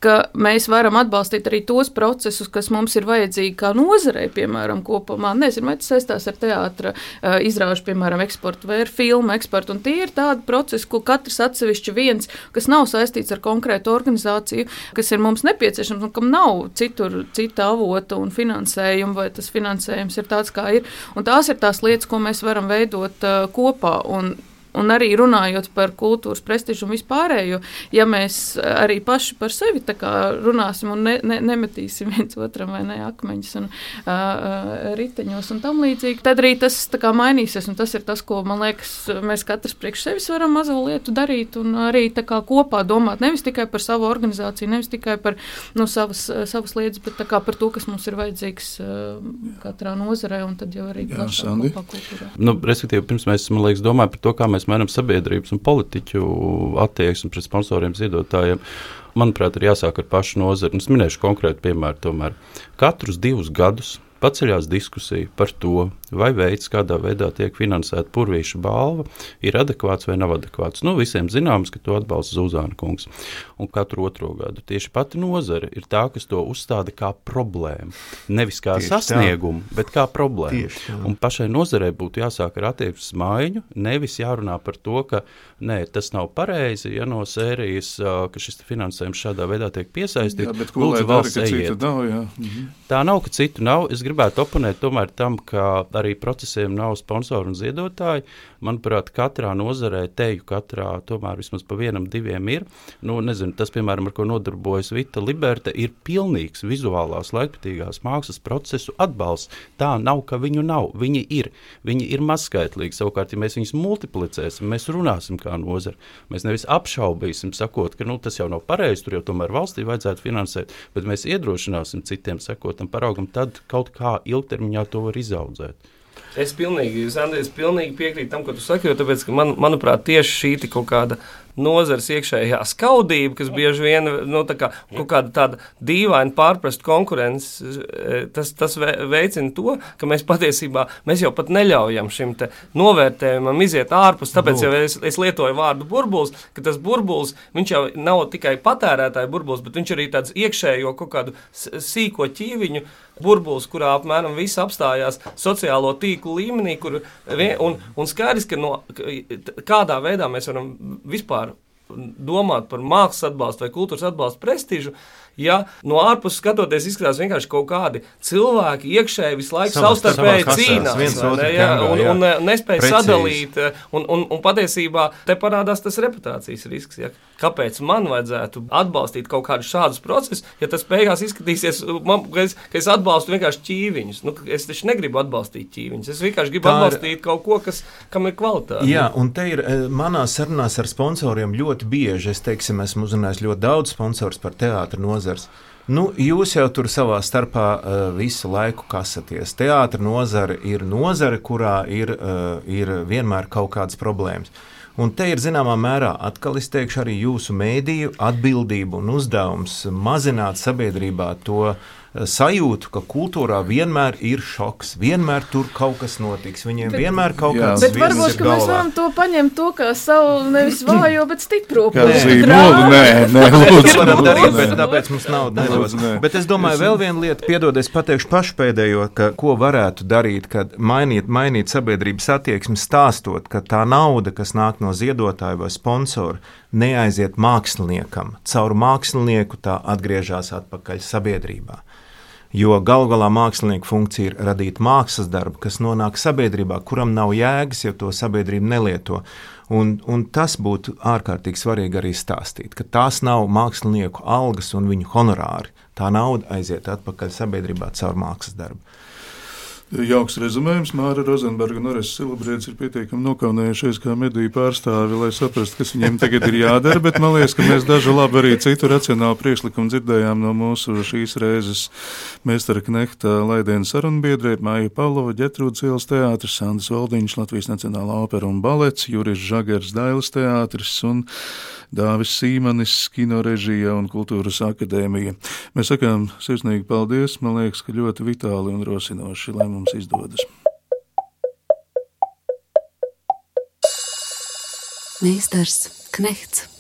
ka mēs varam atbalstīt arī tos procesus, kas mums ir vajadzīgi kā nozarei, piemēram, kopumā. Nezinu, vai tas saistās ar teātra uh, izrāžu, piemēram, eksportu vai ar filmu eksportu, un tie ir tādi procesi, ko katrs atsevišķi viens, kas nav saistīts ar konkrētu organizāciju, kas ir mums nepieciešams, un kam nav citur, cita avota un finansējuma, vai tas finansējums ir tāds, kā ir. Un tās ir tās lietas, ko mēs varam veidot uh, kopā, un Un arī runājot par kultūras prestižu un vispārējo, ja mēs arī paši par sevi tā kā runāsim un ne, ne, nemetīsim viens otram vai ne akmeņus un uh, riteņos un tam līdzīgi, tad arī tas tā kā mainīsies. Un tas ir tas, ko, man liekas, mēs katrs priekš sevis varam mazo lietu darīt un arī tā kā kopā domāt nevis tikai par savu organizāciju, nevis tikai par nu, savas, savas lietas, bet tā kā par to, kas mums ir vajadzīgs uh, katrā nozarē un tad jau arī plašāk kopā kultūrā. Nu, respektīvi, pirms mēs, man liekas, domājam par to, kā mēs mainām sabiedrības un politiķu attieksmi pret sponsoriem, ziedotājiem. Manuprāt, ir jāsāk ar pašu nozari. Es minēšu konkrētu piemēru tomēr. Katrus divus gadus paceļās diskusija par to, vai veids, kādā veidā tiek finansēta Purvīša balva, ir adekvāts vai nav adekvāts. Nu, visiem zināms, ka to atbalsta Zuzāna kungs. Un katru otro gadu tieši pati nozare ir tā, kas to uzstāda kā problēmu. Nevis kā Tieši sasniegumu, tā. bet kā problēmu. Tieši tā. Un pašai nozarei būtu jāsāk ar attieksmes maiņu, nevis jārunā par to, ka nē, tas nav pareizi, ja no sērijas, ka šis finansējums šādā veidā tiek piesaistīts. Jā, bet ko lai dara, ka citu nav, jā. Mhm. Tā nav, ka citu nav. Es gribētu oponēt tomēr tam, ka arī procesiem nav sponsori un ziedotāji. Manuprāt, katrā nozarē, teju katrā, tomēr vismaz pa vienam, diviem ir. Nu, nezinu, tas, piemēram, ar ko nodarbojas Vita Liberte, ir pilnīgs vizuālās laikmetīgās mākslas procesu atbalsts. Tā nav, ka viņu nav. Viņi ir. Viņi ir mazskaitlīgi. Savukārt, ja mēs viņus multiplicēsim, mēs runāsim kā nozara. Mēs nevis apšaubīsim, sakot, ka nu, tas jau nav pareizi, tur jau tomēr valstī vajadzētu finansēt, bet mēs iedrošināsim citiem sekotam paraugam, tad kaut kā ilgtermiņā to var izaudzēt. Es pilnīgi, Sandri, es pilnīgi piekrītu tam, ko tu saki, jo tāpēc, ka man, manuprāt, tieši šī kaut kāda nozares iekšējā skaudība, kas bieži vien nu, tā kā, kaut kāda tāda dīvaina pārprast konkurences, tas, tas veicina to, ka mēs patiesībā, mēs jau pat neļaujam šim te novērtējumam iziet ārpus, tāpēc jau es, es lietoju vārdu burbulis, ka tas burbulis, viņš jau nav tikai patērētāju burbulis, bet viņš arī tāds iekšējo kaut kādu sīko ķīviņu burbulis, kurā apmēram viss apstājās sociālo tīklu līmenī, kur, un, un skaidrs, ka no, kādā veidā mēs varam vispār domāt par mākslas atbalstu vai kultūras atbalstu prestižu, ja no ārpuses skatoties izskatās vienkārši kaut kādi cilvēki iekšēji visu laiku savstarpēji cīnās, ne, ja, un, un, un nespēja sadalīt, un, un, un patiesībā te parādās tas reputācijas risks, ja. kāpēc man vajadzētu atbalstīt kaut kādus šādus procesus, ja tas beigās izskatīsies, man, ka, es, ka es atbalstu vienkārši ķīviņus. Nu, es taču negribu atbalstīt ķīviņus, es vienkārši gribu Tā atbalstīt ir... kaut ko, kas, kam ir kvalitāte. Jā, un te ir manās sarunās ar sponsoriem ļoti bieži, es teiksim, esmu uzrunājis ļoti daudz sponsors par teātra nozars. Nu, jūs jau tur savā starpā uh, visu laiku kasaties. Teātra nozare ir nozare, kurā ir, uh, ir vienmēr kaut kādas problēmas. Un te ir zināmā mērā, atkal es teikšu, arī jūsu mēdīju atbildību un uzdevums mazināt sabiedrībā to sajūtu, ka kultūrā vienmēr ir šoks, vienmēr tur kaut kas notiks, viņiem bet, vienmēr kaut jā, kāds bet varbūt, ka mēs varam to paņemt to kā savu nevis vājo, bet stipro pusi. Nē, nē, lūdzu. Darīt, bet tāpēc mums nauda nedos. Bet es domāju, vēl viena lieta, piedod, es pateikšu pašpēdējo, ka ko varētu darīt, kad mainīt, mainīt sabiedrības attieksmi, stāstot, ka tā nauda, kas nāk no ziedotāja vai sponsora, neaiziet māksliniekam. Caur mākslinieku tā atgriežās atpakaļ sabiedrībā. Jo galu galā mākslinieka funkcija ir radīt mākslas darbu, kas nonāk sabiedrībā, kuram nav jēgas, ja to sabiedrība nelieto. Un, un tas būtu ārkārtīgi svarīgi arī stāstīt, ka tās nav mākslinieku algas un viņu honorāri. Tā nauda aiziet atpakaļ sabiedrībā caur mākslas darbu. Jauks rezumējums. Māra Rozenberga un Orests Silabriedis ir pietiekami nokaunējušies kā mediju pārstāvi, lai saprastu, kas viņiem tagad ir jādara, bet man liekas, ka mēs dažu labi arī citu racionālu priekšlikumu dzirdējām no mūsu šīs reizes Meistara Knehta Laidienu sarunbiedrē, Māja Pavlova, Ģetrūdas ielas teātris, Sandis Valdiņš, Latvijas Nacionālā opera un balets, Juris Žagars, Dailes teātris un Dāvis Sīmanis, kino režija un kultūras akadēmija. Mēs sakām sirsnīgi paldies, man liekas, ka ļoti vitāli un rosinoši, lai mums izdodas. Meistars Knehts.